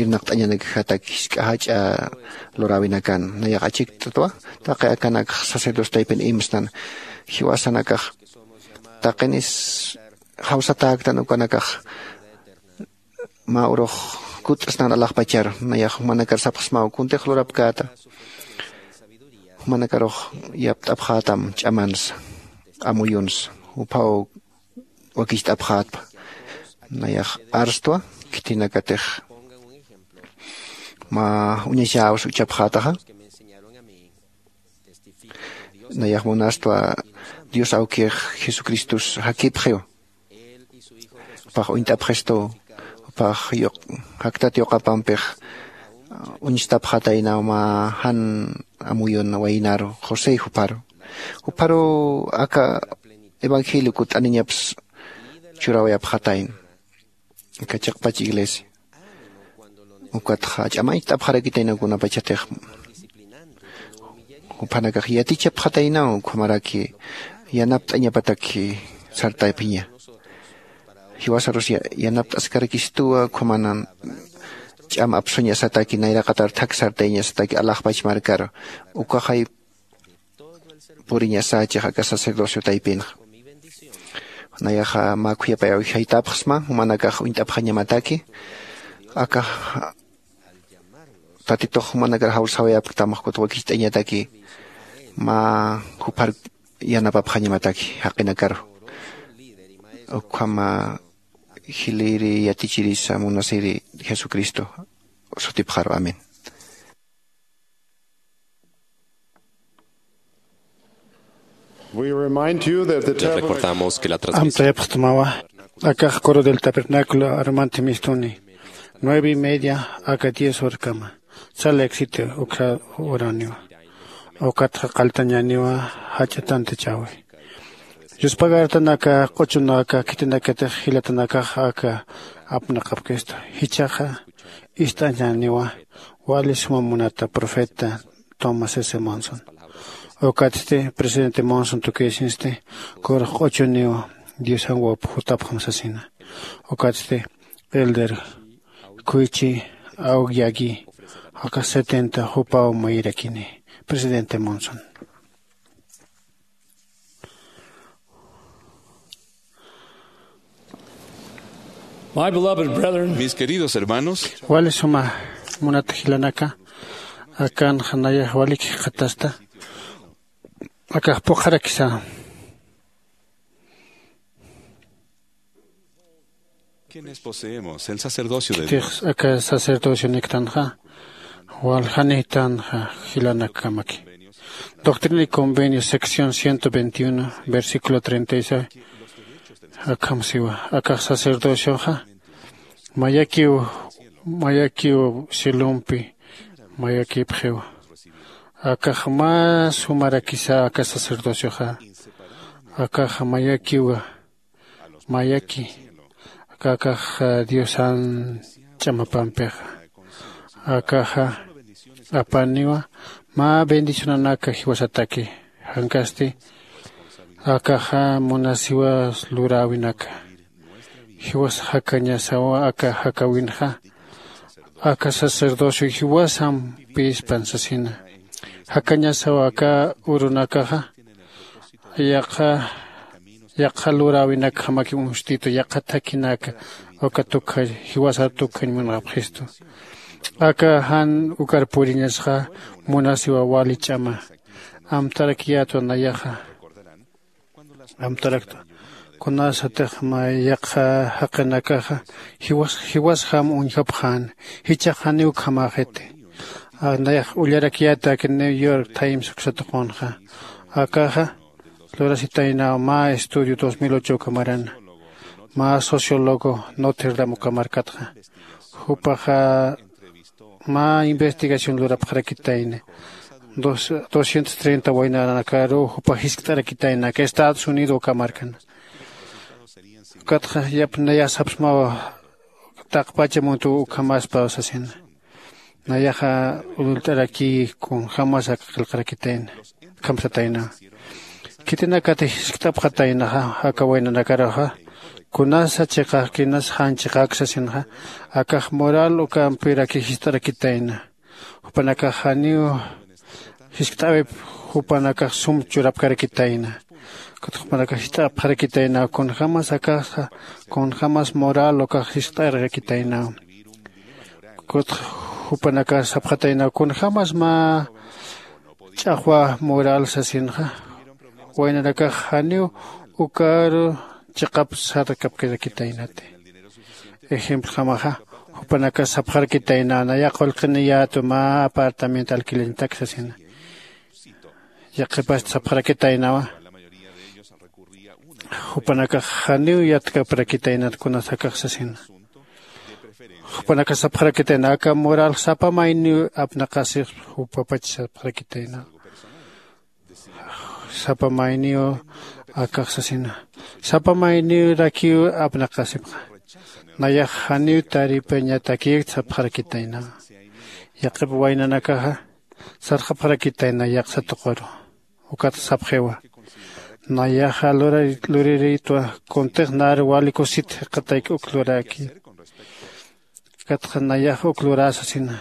irnaqt'añanakajatak jisk'a jach'a luräwinakan nayax achikt'atwa. Taqi akanakx sacerdocio taypin imsnan jiwasanakax taqinis jawsatäktan ukanakax mä urux kutt'snan alaxpachar nayax jumanakar sapxsmaw kuntix lurapkäta. Jumanakarux yapt'apxätam ch'amansa amuyunsa juphaw wakicht'apxätpa. Nayax arstwa khitinakatix mä uñachäwsa uchapxätaxa. Nayax munastwa dios awkix jesucristos jakipxiw. Jupax uñt'apxistu jupax jaktat yuqapampix uñstapxataynaw mä jan amuyun waynaru josé juparu. Juparu aka evangelio kutt'aniñaps churawayapxatayna aka chiqpach iglesia. Ukatxa ch'amañcht'apxarakitaynaw kunapachatix juphanakax yatichapxataynaw ukhamaraki yanapt'añapataki sartaypiña. Jiwasarus yanapt'askarakistuwa ukhamanan ch'am apsuñasataki nayraqatar thak sartayañasataki alaxpach markaru ukaxay puriñasächix aka sacerdocio taypinxa. Nayaxa mä khuyapay awjaytapxsma jumanakax uñt'apxañamataki aka tatitux jumanakar jawsawayapktam jukut wakicht'añataki mä juphar yanapapxañamataki jaqinakaru. Ukhama jiliri yatichirisa munasiri jesucristo sutipxaru amén. Les recordamos que la transmisión amtayapxtmawa akax coro del tabernáculo armantimistuni nueve y media aka diez horkama. Sal éxito ukha uraniwa ukatxa qalltañaniwa jach'a tantachäwi. Yuspagartan aka q'uchun aka khitinakatix jilatanakax aka apnaqapkistu jichhaxa ist'añaniwa wali suma munata profeta tomás s monson. Ukatsti presidente monson tukïsinsti kurux q'uchuniw diosan wawp jutapxam sasina. Ukatsti elder kuychi awkyaki aka setenta jupaw mayirakini presidente monson. Mis queridos hermanos, wali suma munat jilanaka akanxa nayax walik jikxatasta akax puqharakisa. Quienes poseemos el sacerdocio de dios, aka sacerdocio niktanxa waljanïtanxa jilanakkamaki. Doctrina y convenio sección ciento veintiuno versículo treinta y seis akham siwa akax sacerdocioxa mayakiw mayakiw cielompi mayakipxiw. Akax mä sumarakisa aka sacerdocioxa akax mayakiwa mayaki aka akax diosan ch'amapampixa. Akaxa apaniwa mä bendicionanaka jiwasataki jankasti akaxa munasiwa luräwinaka jiwas jakañasawa aka jakawinxa aka sacerdocio jiwasampïspan sasina. Jakañasaw aka urunakaxa yaqha yaqha luräwinakjamakiw uñstitu yaqha thakhinaka uka tukjañ jiwasar tukjañ munxapxistu. Aka jan ukar puriñasxa munasiwa wali ch'ama. Amtarakiyätwa nayaxa amtaraktwa kunasatix mä yaqha jaqinakaxa jiwas jiwasjam uñjapxän. Jichhax janiw ukhamäxiti. Nayax ullarakiyäta aka new york times uksatuqunxa. Akaxa lurasitaynaw mä estudio dos mil ocho ukamarana mä sociólogo notre dame ukamarkatxa. Jupaxa mä investigación lurapxarakitayna doscientos treinta waynaranakaruw jupa jiskt'arakitayna aka estados unidos ukamarkana. Ukatxa yap nayasapsmawa taqpacha muntuw ukhamaspaw sasina. Nayaxa ullt'arakï kunjämas aka qillqarakitayna. Khamsataynawa khitinakatix jiskt'apxataynaxa aka waynanakaruxa kunasa chiqakinas jan chiqak sasinxa akax moral ukampiraki jist'arakitayna. Jupanakax janiw jiskt'äwip jupanakax sum churapkarakitayna. Ukat jupanakax jist'apxarakitaynaw kunjämas akaxa kunjämas moral ukax jiskt'arakitaynaw. Ukat jupanakax sapxataynaw kunjämas mä ch'axwa moral sasinxa waynanakax janiw ukaru chiqap sarkapkarakitaynati. Ejemplojamaxa jupanakax sapxarakitaynaw nayax qullqiniyätwa mä apartamento alquilañatak sasina. Yaqhipasti sapxarakitaynawa jupanakax janiw yatkaparakitaynat kunas akax sasina. Jupanakax sapxarakitaynaw aka moral sapa mayniw apnaqasix jupapach sapxarakitaynaw. Sapa mayniw akax sasina sapa mayniw rakiw apnaqasipxa. Nayax janiw taripañatakiw sapxarakitayna. Yaqhip waynanakaxa sarxapxarakitayna yaqsa tuquru. Ukat sapxiwa nayaxa luriritwa kuntix nar wali kusit jikxatayki uk luraki. Ukatxa nayax uk lurä sasina.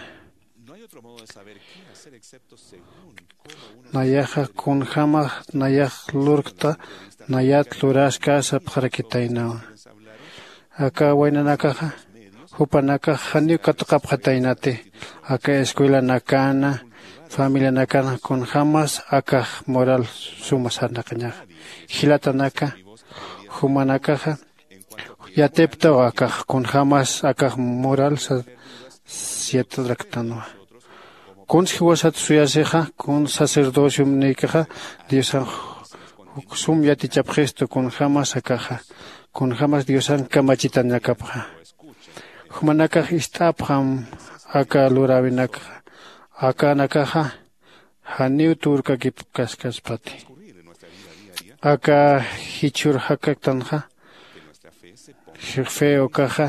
Nayaxa kunjämax nayax lurkta nayat luräskä sapxarakitaynawa. Aka waynanakaxa jupanakax janiw katuqapxataynati aka escuelanakana familianakana kunjämas akax moral suma sarnaqañaxa. Jilatanaka jumanakaxa yatiptaw akax kunjämas akax moral sasa yatraktanwa. Kuns jiwasat suyasixa kuns sacerdociomnïkixa diosan sum yatichapxistu kunjämas akaxa kunjämas diosan kamachitanakapxa. Jumanakax ist'apxam aka luräwinakxa akanakaxa janiw turkakipkaskaspati. Aka jichhür jakaktanxa fe ukaxa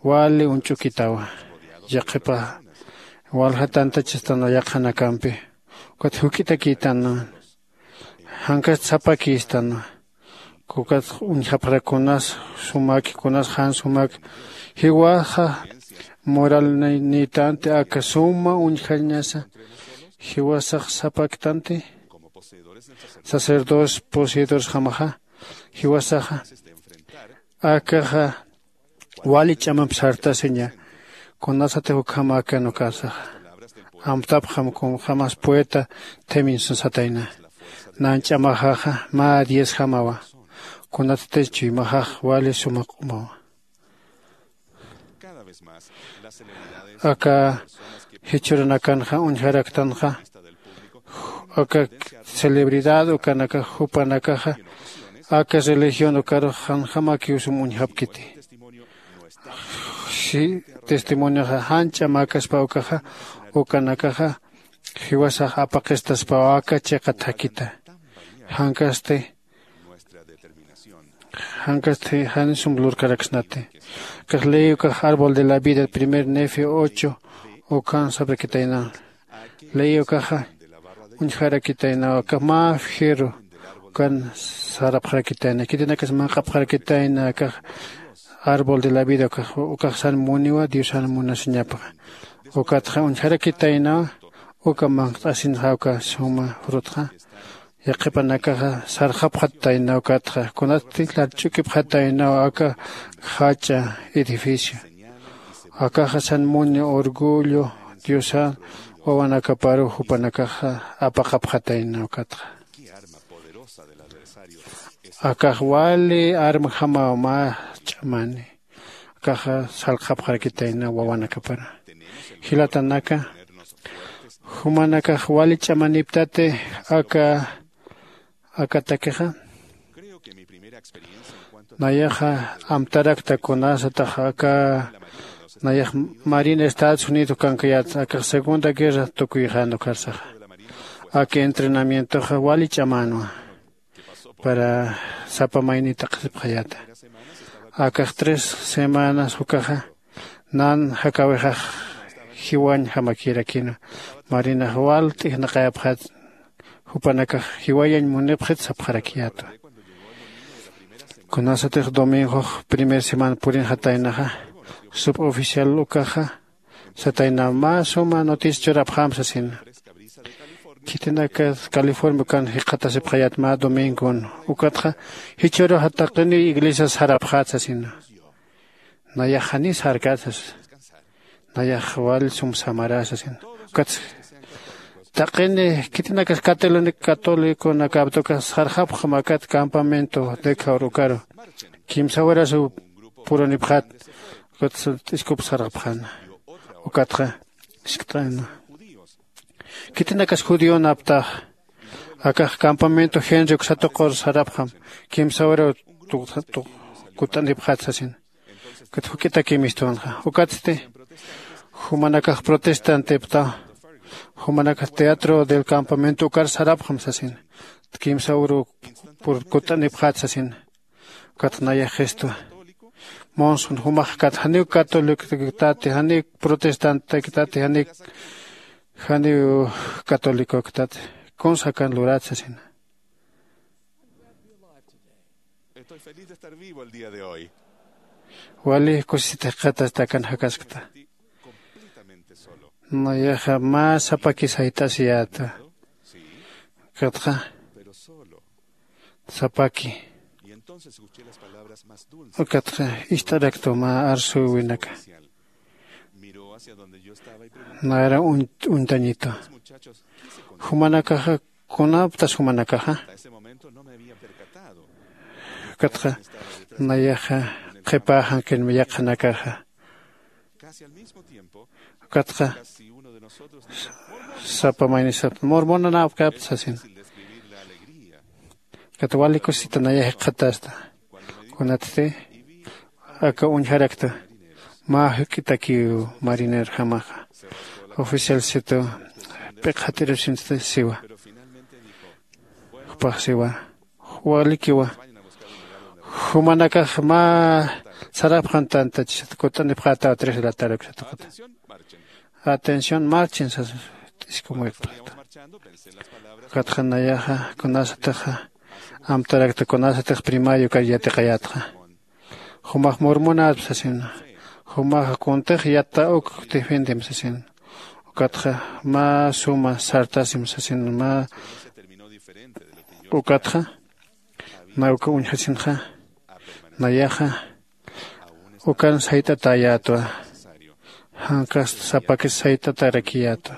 wali uñch'ukitawa. Yaqhipa walja tantachastan yaqhanakampi ukat juk'itakïtanwa. Jankast sapakïstanwa. Ukat uñjapxarak kunas sumaki kunas jan sumaki jiwaxa moral niytanti aka suma uñjañasa jiwasax sapaktanti. Sacerdotes poseedores jamaxa jiwasaxa akaxa wali ch'amamp sartasiña. Kunasatix ukhamakan ukasaxa amtapxam kunjämas poeta theminsasatayna. Nan ch'amaxaxa mä diezjamawa. Kunatatisch chuymaxax wali suma q'umawa. Aka jichhüranakanxa uñjaraktanxa aka celebridad ukanakax jupanakaxa aka religión ukarux janjamakiw sum uñjapkiti. Testimonioxa jan ch'amäkaspa ukaxa ukanakaxa jiwasax apaqistaspaw aka chiqa thakita. Jankasti jankasti jan sum lurkaraksnati. Ukax ley ukax árbol de la vida primer nefe ocho ukan saprakitayna. Ley ukaxa uñjarakitayna ukax mä fierro ukan sarapxarakitayna khitinakas manq'apxarakitayna akax árbol de la vida ukax ukaxsan muniwa diosan munasiñapxa. Ukatxa uñjarakitaynawa Uka manqt'asinxa uka suma frutxa yaqhipanakaxa sarxapxataynaw katxa kunatsti llarch'ukipxataynaw aka jach'a edificio. Akaxa san muni orgullo diosa wawanakaparu jupanakaxa apaqapxataynaw katxa. Akax wali armjamaw mä ch'amani. Akaxa sarxapxarakitayna wawanakapara. Jilatanaka jumanakax wali ch'amaniptati aka akatakixa. Nayaxa amtarakta kunasatax aka nayax marina estados unidos kankayat akax segunda guerra tukuyxan ukarsaxa. Aka entrenamientoxa wali ch'amänwa para sapa mayni t'aqsipxayata. Akax tres semanas ukaxa nan jakawixax jiwañ jamakirakina. Marinax wal t'ijnaqayapxat jupanakax jiwayañ munipxit sapxarakiyätwa. Kunasatix domingox primer semana purinxataynaxa suboficial ukaxa satayna mä suma noticia churapxam sasina. Khitinakat california ukan jikxatasipxayat mä domingon ukatxa jichhüruxa taqiniw iglesias sarapxät sasina. Nayax janiw sarkät sasa. Nayax wal sum samarä sasina. Ukatsa taqini khitinakas católico católiconakapta ukax sarxapxam akat campamento de kawr ukaru kimsa warasu purunipxät. Ukatsa t'iskup sarxapxäna. Ukatxa iskt'äna. Khitinakas judionaptax akax campamento genri uksatuqur sarapxam kimsa waraw kut'anipxät sasin. Ukat juk'itakimistwanxa ukatsti jumanakax protestantiptaw. Jumanakax teatro del campamento ukar sarapxam sasin. Kimsa uru kut'anipxät sasin. Ukat nayax qistwa monson jumaxkat janiw católicoktati janiw protestantektati janiw janiw católicoktati kunsa kan lurat sasina. Wali kusisita jikxatasta akan jakaskta. Nayaxa mä sapaki sayt'asiyäta. Ukatxa sapaki ukatxa ist'araktu mä arsuwinaka. Nayra uñtañitu jumanakaxa kunaptas jumanakaxa ukatxa nayaxa qhipäxankinmi yaqhanakaxa. Ukatxa sapa maynisapta mormonanapkapta sasina. Ukat wali kusita nayax jikxatasta. Kunatsti aka uñjarakta mä juk'itakiw marinerjamaxa oficialsitu p'iqxatirusinsti siwa. Jupax siwa walikiwa jumanakax mä sarapxantantachisat kut'anipxätaw tres de la tarde uksatuqata. Atención marchen sas t'iskumuyqpxata. Ukatxa nayaxa kunasatixa amtarakta kunasatix primario kar yatiqayätxa. Jumax murmunätp sasina. Jumaxa kuntix yata uk defendem sasina. Ukatxa mä suma sartasim sasina mä ukatxa na uka uñjasinxa nayaxa ukan sayt'atäyätwa. Jankasta sapakis sayt'atarakiyätwa.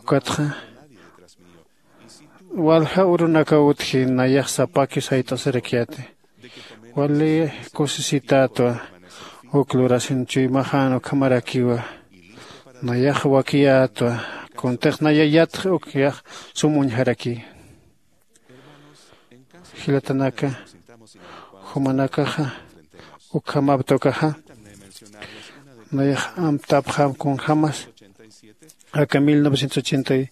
Ukatxa walja urunakaw utji nayax sapaki sayt'asirakiyäti. Wali kusisitätwa. Uk lurasin chuymaxän ukhamarakiwa. Nayax wakiyätwa. Kuntix naya yatx uk yax sum uñjaraki. Jilatanaka jumanakaxa ukhamapta ukaxa nayax amtapxam kunjämas aka mil novecientos ochenta y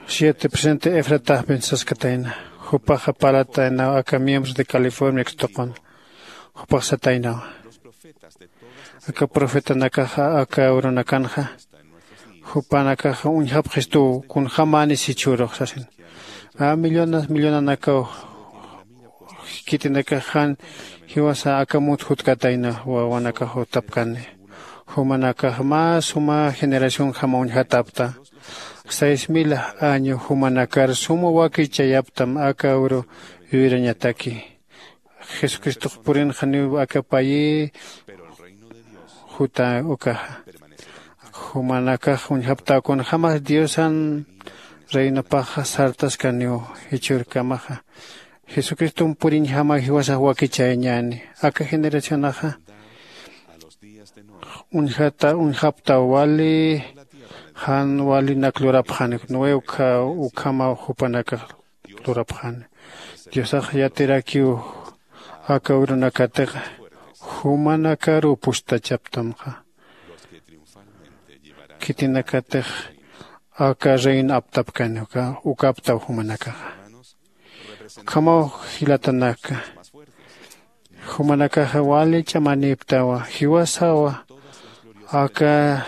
siete presidente efrataxpin saskatayna. Jupaxa parlataynaw aka miembros de california ukstuqun. Jupax sataynawa aka profetanakaxa aka urunakanxa jupanakaxa uñjapxistuw kunjämänis jichhürux sasin. A millonas millonanakaw khitinakax jan jiwasa aka mut jutkatayna wawanakax jutapkani. Jumanakax mä suma generacionjama uñjatapta. seis mil año jumanakar suma wakichayaptam aka uru yuyrañataki. Jesucristox purinxaniw aka payï juta ukaxa. Jumanakax uñjaptäw kunjämas diosan reinopaxa sartaskaniw jichhürkamaxa. Jesucristom puriñjama jiwasax wakichayañäni. Aka generacionaxa uñjata uñjaptaw wali jan walinak lurapxani. Noé ukhamaw jupanakax lurapxani. Diosax yatirakiw aka urunakatixa jumanakaruw pustachaptamxa. Khitinakatix aka reino aptapkani uka ukaptaw jumanakaxa. Ukhamaw jilatanaka jumanakaxa wali ch'amanïptawa jiwasawa aka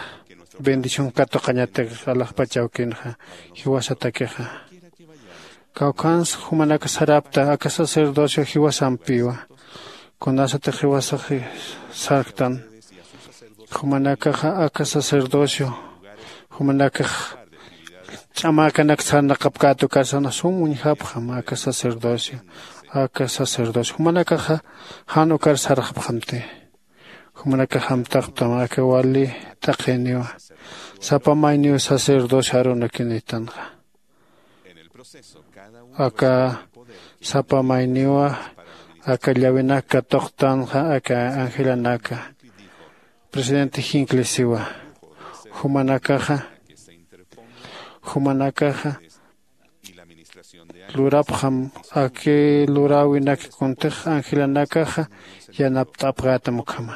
bendición katuqañatix alaxpachawkinxa jiwasatakixa. Kawkhans jumanaka sarapta aka sacerdocio jiwasampiwa. Kunasatix jiwasax sarktan jumanakaxa aka sacerdocio jumanakax ch'amäkanak sarnaqapkäta ukarsan sum uñjapxam aka sacerdocio aka sacerdocio jumanakaxa jan ukar sarxapxamti. Jumanakax amtaqtam aka wali t'aqiniwa sapa mayniw sacerdocio arunakinïtanxa. Aka sapa mayniwa aka llawinak katuqtanxa aka angelanaka presidente jinklisiwa. Jumanakaxa jumanakaxa lurapxam aki luräwinaki kuntix angelanakaxa yanapt'apkätam ukhama.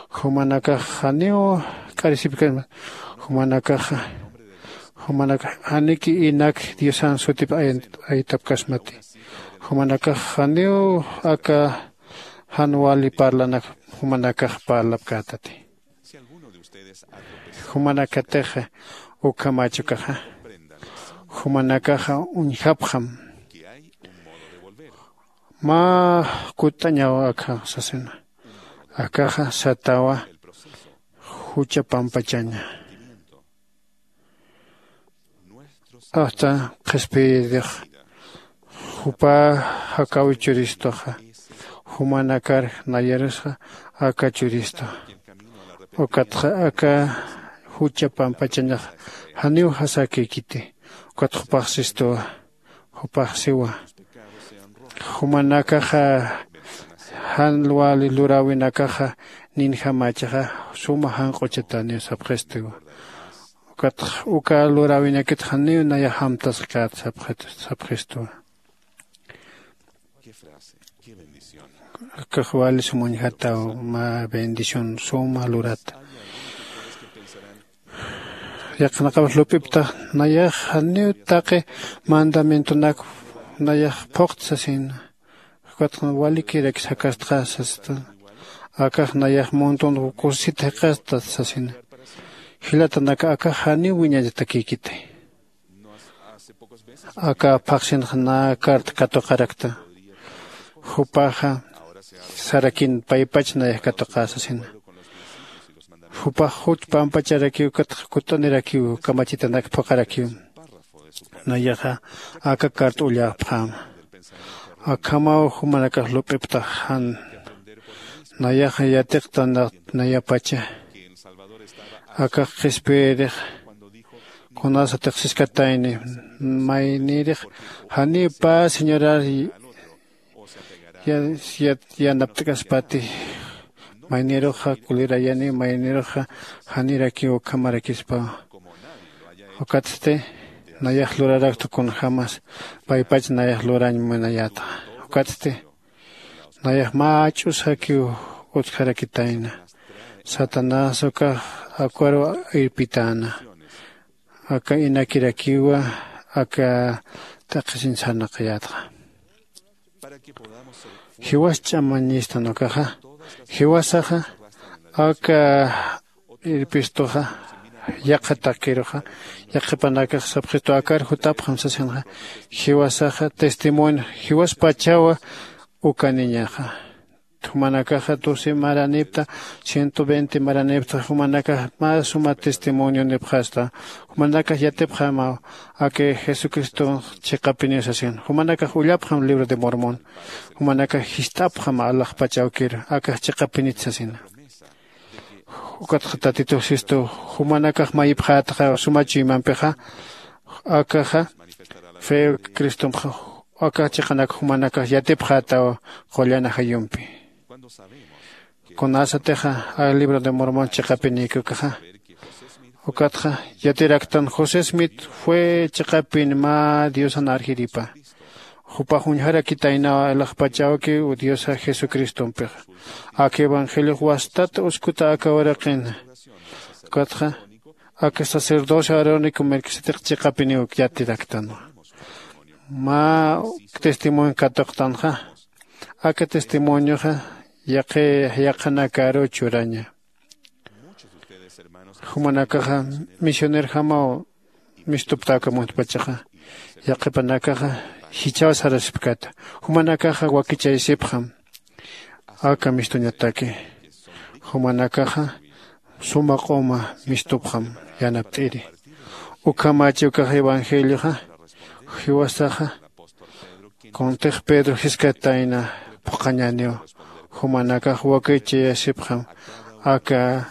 Jumanakax janiw k'arisipkasma jumanakaxa jumanakax janiki inak diosan sutip aytapkasmati. Jumanakax janiw aka jan wali parlanak jumanakax parlapkätati. Jumanakatixa ukhamach ukaxa jumanakaxa uñjapxam mä kutt'añaw akha sasina. Akaxa satawa jucha pampachaña. Asta qhispiyirix jupa jakaw churistuxa jumanakar nayarusxa aka churistu. Ukatxa aka jucha pampachañax janiw jasakïkiti. Ukat jupaxsistuwa jupaxsiwa. Jumanakaxa jan wali luräwinakaxa ninjamachaxa suma janq'uchataniw sapxistuwa. Ukatxa uka luräwinakit janiw nayax amtasqkät sapxistuwa. Akax wali sum uñjataw mä bendición suma lurata. Yaqhanaqap lup'iptax nayax janiw taqi mandamientonak nayax phuqta sasina. Ukatxa walikiraki jakastxa sasita. Akax nayax montón kusisita jikxasta sasina. Jilatanaka akax janiw wiñañatakïkiti. Aka phaxsinxa nä carta katuqarakta. Jupaxa sarakin paypach nayax katuqä sasina. Jupax juch pampacharakiw ukatxa kutt'anirakiw kamachitanak phuqarakiw. Nayaxa aka carta ullapxäma. Akhamaw jumanakax lup'iptax jan nayaxa yatiqtanat nayapacha. Akax qhispiyirix kunasatix siskatayni maynïrix janiw pä señorar yanapt'kaspati. Maynïruxa kulirayani maynïruxa janirakiw ukhamarakispawa. Ukatsti nayax lurarakta kunjämas paypach nayax lurañ munayätxa. Ukatsti nayax mä ch'usakiw utjarakitayna. Satanás ukax akwaru irpitäna. Aka inakirakiwa aka t'aqhisiñ sarnaqayätxa. Jiwas ch'amañistan ukaxa jiwasaxa aka irpistuxa yaqha takiruxa yaqhipanakax sapxistu akar jutapxam sasinxa. Jiwasaxa testimonio jiwaspachawa ukaniñaxa. jumanakaxa doce maranipta, ciento veinte maranipta jumanakax mä suma testimonionipxasta. Jumanakax yatipxamaw aka jesucriston chiqapiniw sasin. Jumanakax ullapxam libro de mormón. Jumanakax jist'apxam alaxpach awkir akax chiqapinit sasina. Ukatxa tatitux sistu jumanakax mayipxätxa suma chuymampixa, akaxa fe cristompxa aka chiqanak jumanakax yatipxätaw qullan ajayumpi. Kunasatixa a libro de mormón chiqapinïki ukaxa, ukatxa yatiraktan josé smith fue chiqapin mä diosan arjiripa. Jupax uñjarakitaynaw alaxpach awki diosa jesucristompixa. Aka evangeliox wastat uskuta aka uraqin. Ukatxa aka sacerdocio arónico melquisedec chiqapiniw yatiraktanwa. Mä testimonio katuqtanxa, aka testimonioxa yaqi yaqhanakaru churaña. Jumanakaxa misionerjamaw mistuptäkamuntpachaxa, yaqhipanakaxa jichhaw sarasipkata. Jumanakaxa wakichaysipxam aka mistuñataki. Jumanakaxa suma q'uma mistupxam yanapt'iri. Ukhamach ukax evangelioxa jiwasaxa kuntix pedro jiskatayna phuqhañäniw. Jumanakax wakichayasipxam aka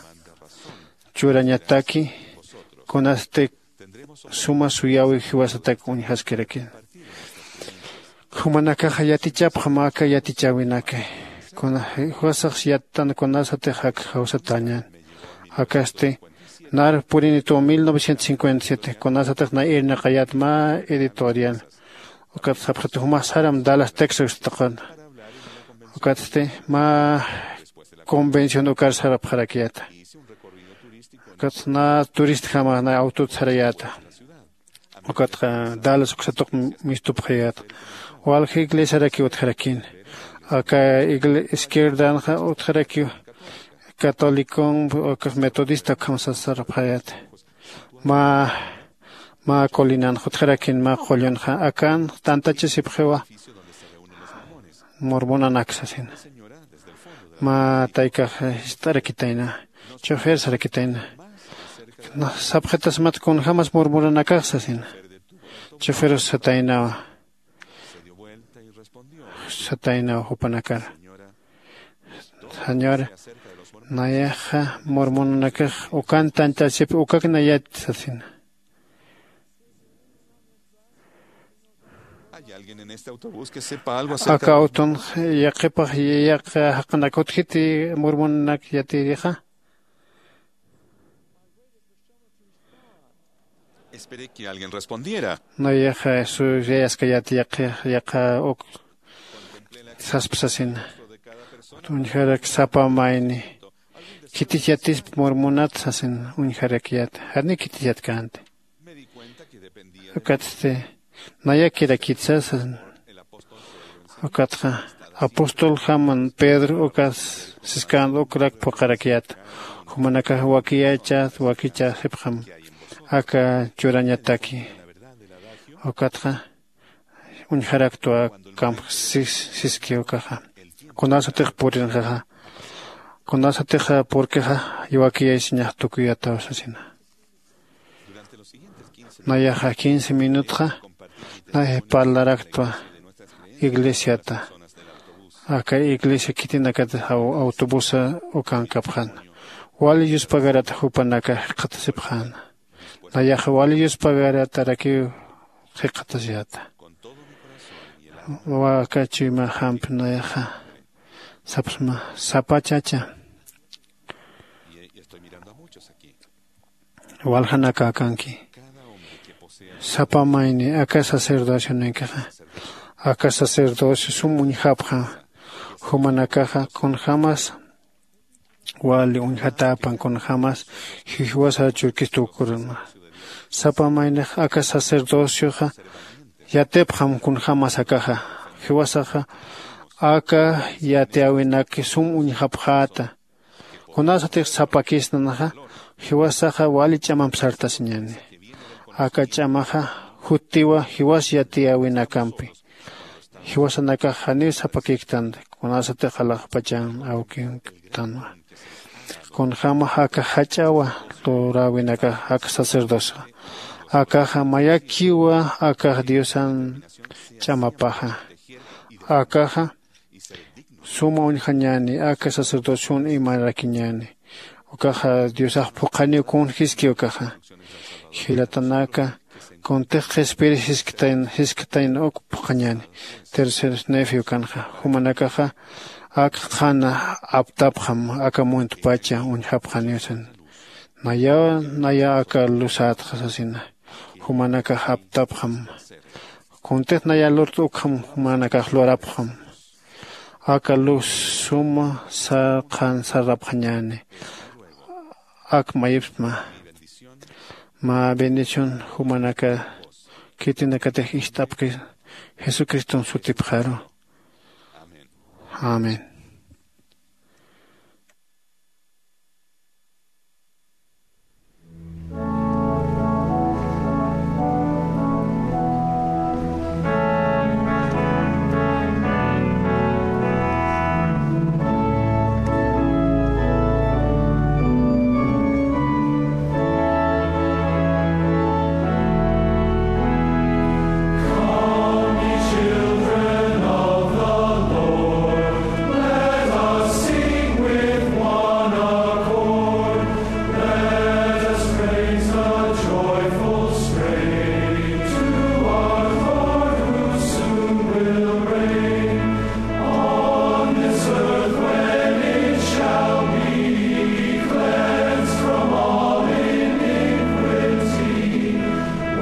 churañataki kunasti suma suyäwi jiwasatak uñjaskirakin. Jumanakaxa yatichapxam aka yatichäwinaki. Kuna jiwasax yattan kunasatix ak jawsatañan. Akasti nar purinituw mil novecientos cincuenta y siete kunasatix na irnaqayät mä editorial. Ukat sapxit jumax saram dallas texas tuqan. Ukatsti mä convención ukar sarapxarakiyäta. Ukat na turistjama na awtut sarayäta. Ukatxa dallas uksatuq mistupxayäta. Walja iglesiaraki utjarakin. Aka izquierdanxa utjarakiw catolicon ukax metodista ukham sasarapxayäta. Mä mä colinanxa utjarakin mä qullunxa akan tantachasipxiwa. Mormonanak sasina. Mä taykax jist'arakitayna, chofer sarakitayna. Sapxitasmat kunjämas murmuranakax sasina. Choferus sataynawa. Sataynaw jupanakar, señora, nayaxa murmuranakax ukan tantasip ukak nayat sasina. Aka awtun yaqhipax yaqha jaqanak utjiti murmunanak yatirixa? Nayaxa suyayaskayat yaqha uk saspa sasina. Uñjarak sapa mayni khitis yatispa murmunat sasin uñjarakyat. Jani khitis yatkänti. Ukatsti nayakirakit sasin. Ukatxa apostol jaman pedro ukas siskän ukrak phuqharakyat. Jumanakax wakiyachät wakichäsipxam aka churañataki. Ukatxa uñjaraktwa kamp siski ukaxa. Kunasatix purinxaxa, kunasatix purkixa, wakiyaysiñax tukuyataw sasina. Nayaxa quince minutxa nay parlaraktwa iglesiata. Aka iglesia khitinakat autobusa ukankapxan. Wali yuspagarata jupanaka jikxatasipxäna. Nayaxa wali yuspagarata rakiw jikxatasiyata. Waka chuyma jampi nayaxa sapsma sapa chacha. Waljanakakanki sapa mayni aka sacerdocioninkaxa aka sacerdocio sum uñjapxa. Jumanakaxa kunjämas wali uñjatäpan kunjämas jiwasa churkistukurunma. Sapa maynix aka sacerdocioxa yatipxam kunjämas akaxa. Jiwasaxa aka yatiyäwinaki sum uñjapxäta. Kunasatix sapakisnanaxa jiwasaxa wali ch'amamp sartasiñäni. Aka ch'amaxa juttiwa jiwas yatiyäwinakampi. Jiwasanakax janiw sapakïktanti. kunasatix alaxpachan awkintanwa. Kunjämax aka jach'awa luräwinakax aka sacerdocio, akaxa mayakiwa akax Diosan ch'amapaxa. Akaxa suma uñjañäni aka sacerdocion imarakiñäni. Ukaxa Diosax phuqhaniw kunjiski ukaxa. Jilatanaka kuntix qhispiri jisktayn jisktayn uk phuqhañäni. Tercer nefe ukanxa jumanakaxa ak qhana aptapxam aka muntpacha uñjapxaniw sasa. Nayaw nayaw aka lusätxa sasina. Jumanakax aptapxam kuntix naya lurt'ukxam jumanakax lurapxam. Aka luz suma saqhan sarapxañäni. Ak mayipsma mä bendición jumanaka khitinakatix ist'apki jesucriston sutipxaru. Amén. Let us sing with one accord. Let us praise a joyful strain to our Lord who soon will reign. On this earth when it shall be cleansed from all iniquity,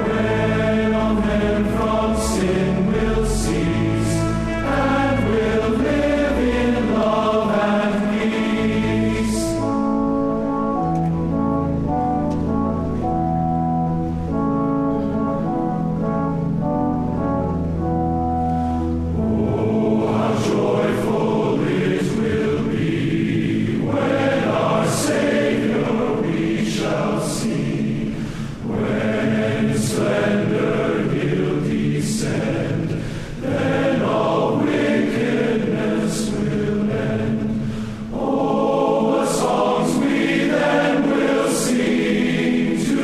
when all men from sin will cease and will live in love and peace. Oh, how joyful it will be when our Savior we shall see. When in splendor he'll descend, then all wickedness will end. Oh, what songs we then will sing to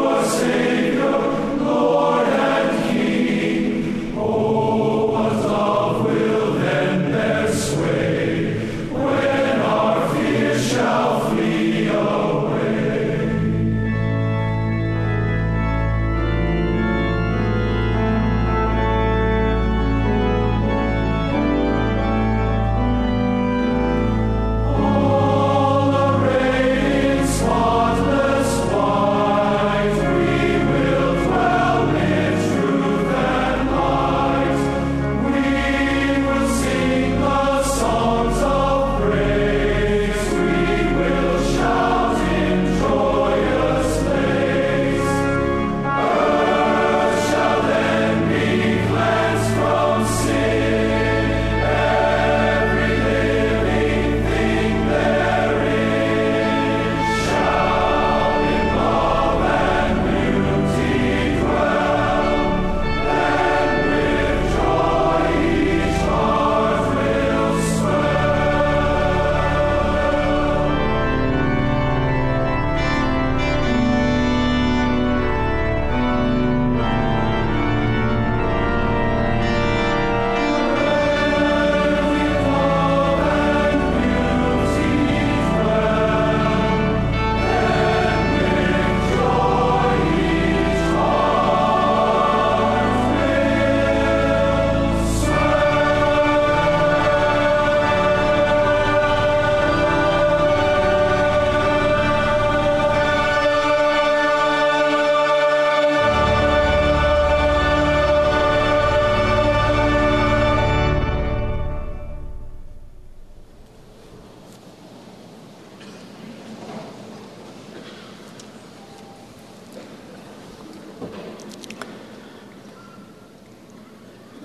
our Savior, Lord and King. Oh, what love will then bear sway when our fears shall flee away. All arrayed in spotless white, we will dwell in truth and light. We will sing the songs of praise. We will shout in joyous lays. Earth shall then be cleansed from sin. Every living thing therein shall in love and beauty dwell.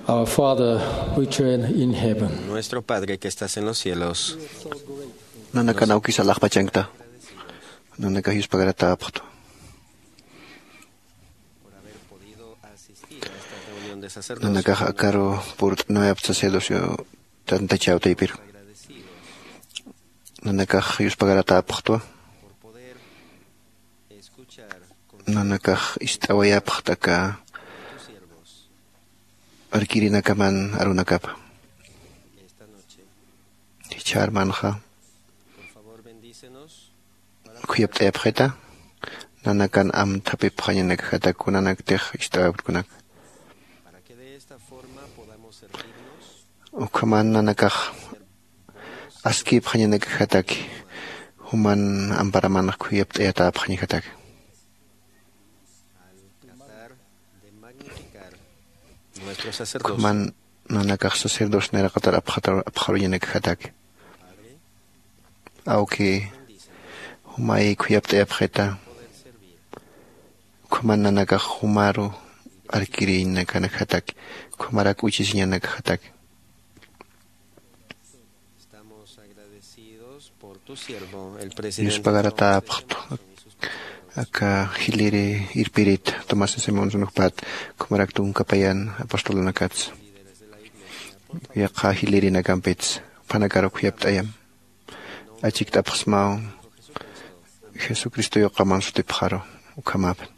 Our Father, which art in heaven. Nuestro Padre que estás en los cielos. Nanakan awkisa alaxpachankta. Nanakax yuspagaratäpxtu. Por haber podido asistir a esta reunión de sacerdocio. Nanakax akaru purt'anuyapxta sacerdocio Tantachäw taypiru. Nanakax yuspagaratäpxtwa. Nanakax ist'awayapxt aka arkirinakaman arunakapa. Jichha armanxa khuyapt'ayapxita. Nanakan amthapipxañanakjatak kunanaktix ist'awayapktukunak. Ukhaman nanakax askïpxañanakjataki. Juman amparamanx khuyapt'ayatäpxañjatak. Ukhaman nanakax sacerdocio nayraqatar apxaruñanakjataki. Awki jumay khuyapt'ayapxita. Ukhaman nanakax jumaru arkirïñanakanakjataki. Ukhamarak uchisiñanakjataki. Yuspagaratäpxtu aka jiliri irpirita tomás simón sunukpat. Ukhamarak tunkapayan apostolunakatsa yaqha jilirinakampitsa. Uphanakaru khuyapt'ayam. Achikt'apxsmaw jesucristo yuqaman sutipxaru. Ukhamapin.